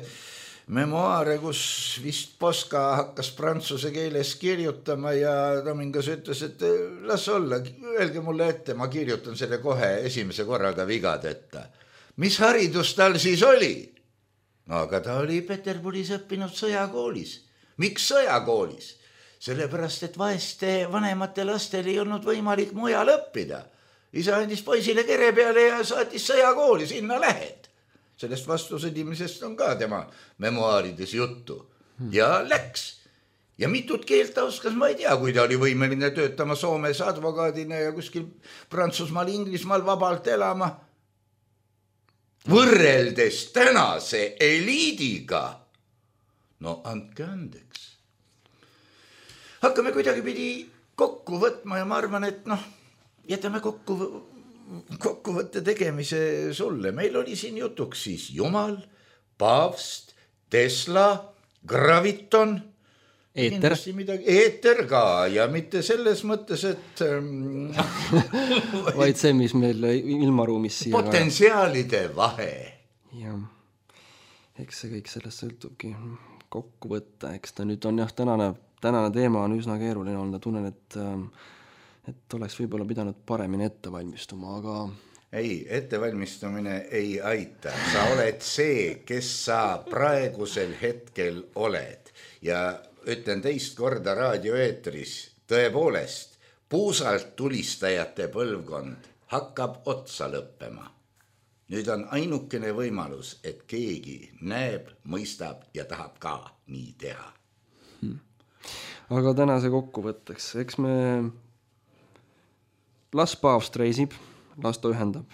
memoaare, kus vist Poska hakkas prantsuse keeles kirjutama ja Domingas ütles, et las olla, öelge mulle ette, ma kirjutan selle kohe esimese korraga vigadeta. Mis haridus tal siis oli? No aga ta oli Peterburis õppinud sõjakoolis. Miks sõjakoolis? Sellepärast, et vaeste vanemate lastel ei olnud võimalik mujal õppida. Isa andis poisile kere peale ja saatis sõjakooli, sinna lähed. Sellest vastusõdimisest on ka tema memoaarides juttu. Ja läks. Ja mitut keelt ta oskas, ma ei tea, kui ta oli võimeline töötama Soomes advokaadina ja kuskil Prantsusmaal, Inglismaal vabalt elama. Võrreldes tänase eliidiga. No andke andeks. Hakkame kuidagi pidi kokku võtma ja ma arvan, et jätame kokkuvõtte tegemise sulle. Meil oli siin jutuks siis Jumal, Paavst, Tesla, Graviton, eeter ka ja mitte selles mõttes, et vaid see, mis meil ilmaruumis siia potentsiaalide vahe. Ja, eks see kõik sellest sõltubki kokku võtta, eks ta nüüd on tänane teema on üsna keeruline olnud, tunnen, et oleks võib-olla pidanud paremini ette valmistuma, aga... Ei, ettevalmistumine ei aita. Sa oled see, kes sa praegusel hetkel oled. Ja ütlen teist korda raadioeetris, tõepoolest, puusalt tulistajate põlvkond hakkab otsa lõppema. Nüüd on ainukene võimalus, et keegi näeb, mõistab ja tahab ka nii teha. Aga tänase kokkuvõtteks, eks me... Las Paavst reisib, las ta ühendab.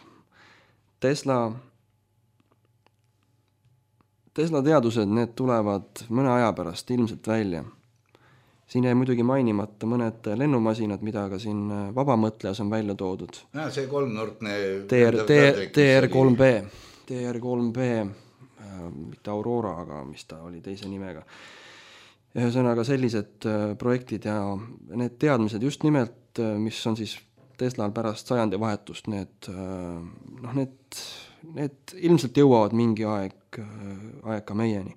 Tesla teadused, need tulevad mõne aja pärast ilmselt välja. Siin jäi muidugi mainimata mõned lennumasinad, mida ka siin vabamõtlejas on välja toodud. Ja, see kolmnurkne... TR3B, mitte Aurora, aga mis ta oli teise nimega. Ühesõnaga sellised projektid ja need teadmised just nimelt, mis on siis Teslal pärast sajandi vahetust, need ilmselt jõuavad mingi aeg ka meieni.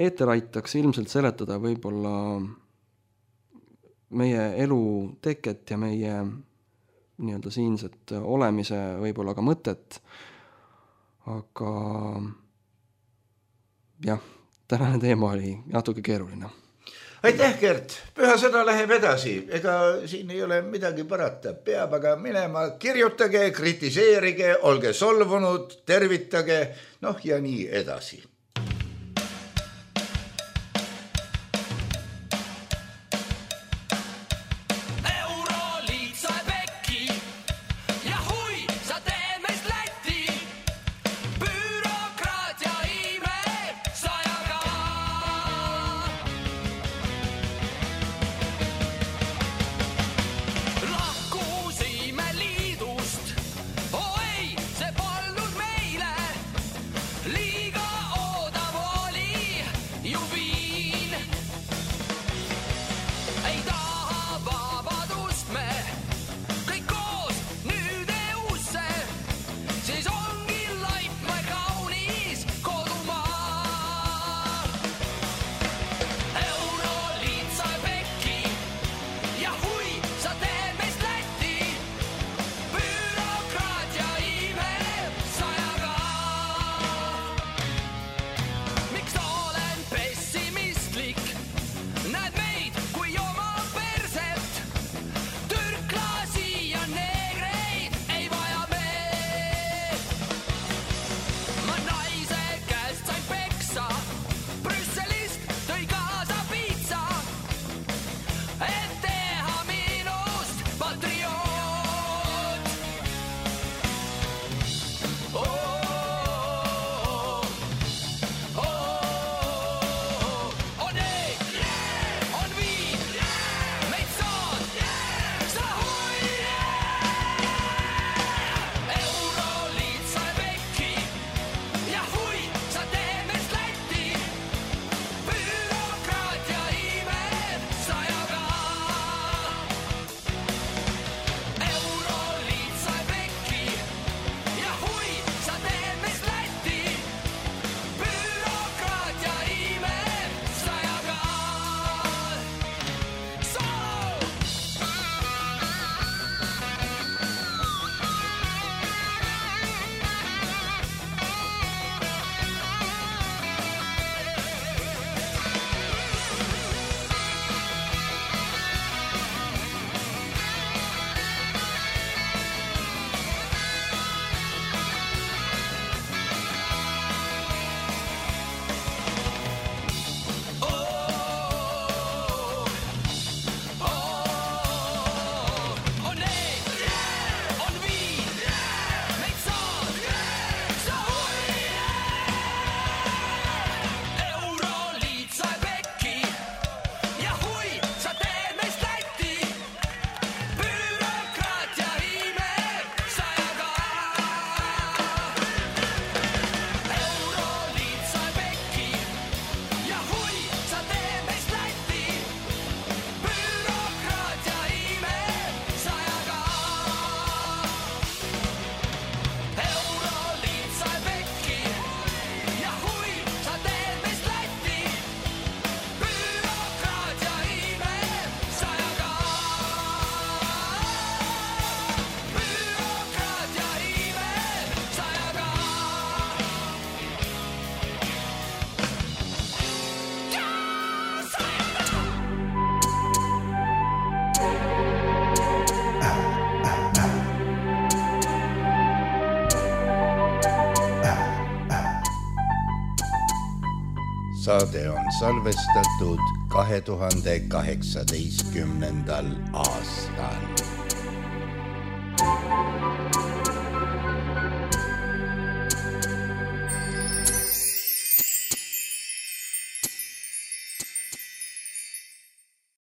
Eeter aitaks ilmselt seletada võib-olla meie elu teket ja meie nii-öelda siinset olemise võib-olla ka mõtet, aga jah, tänane teema oli natuke keeruline. Aitäh, Gert! Püha sõna läheb edasi. Ega siin ei ole midagi parata. Peab aga minema, kirjutage, kritiseerige, olge solvunud, tervitage, ja nii edasi. Saade on salvestatud 2018. aastal.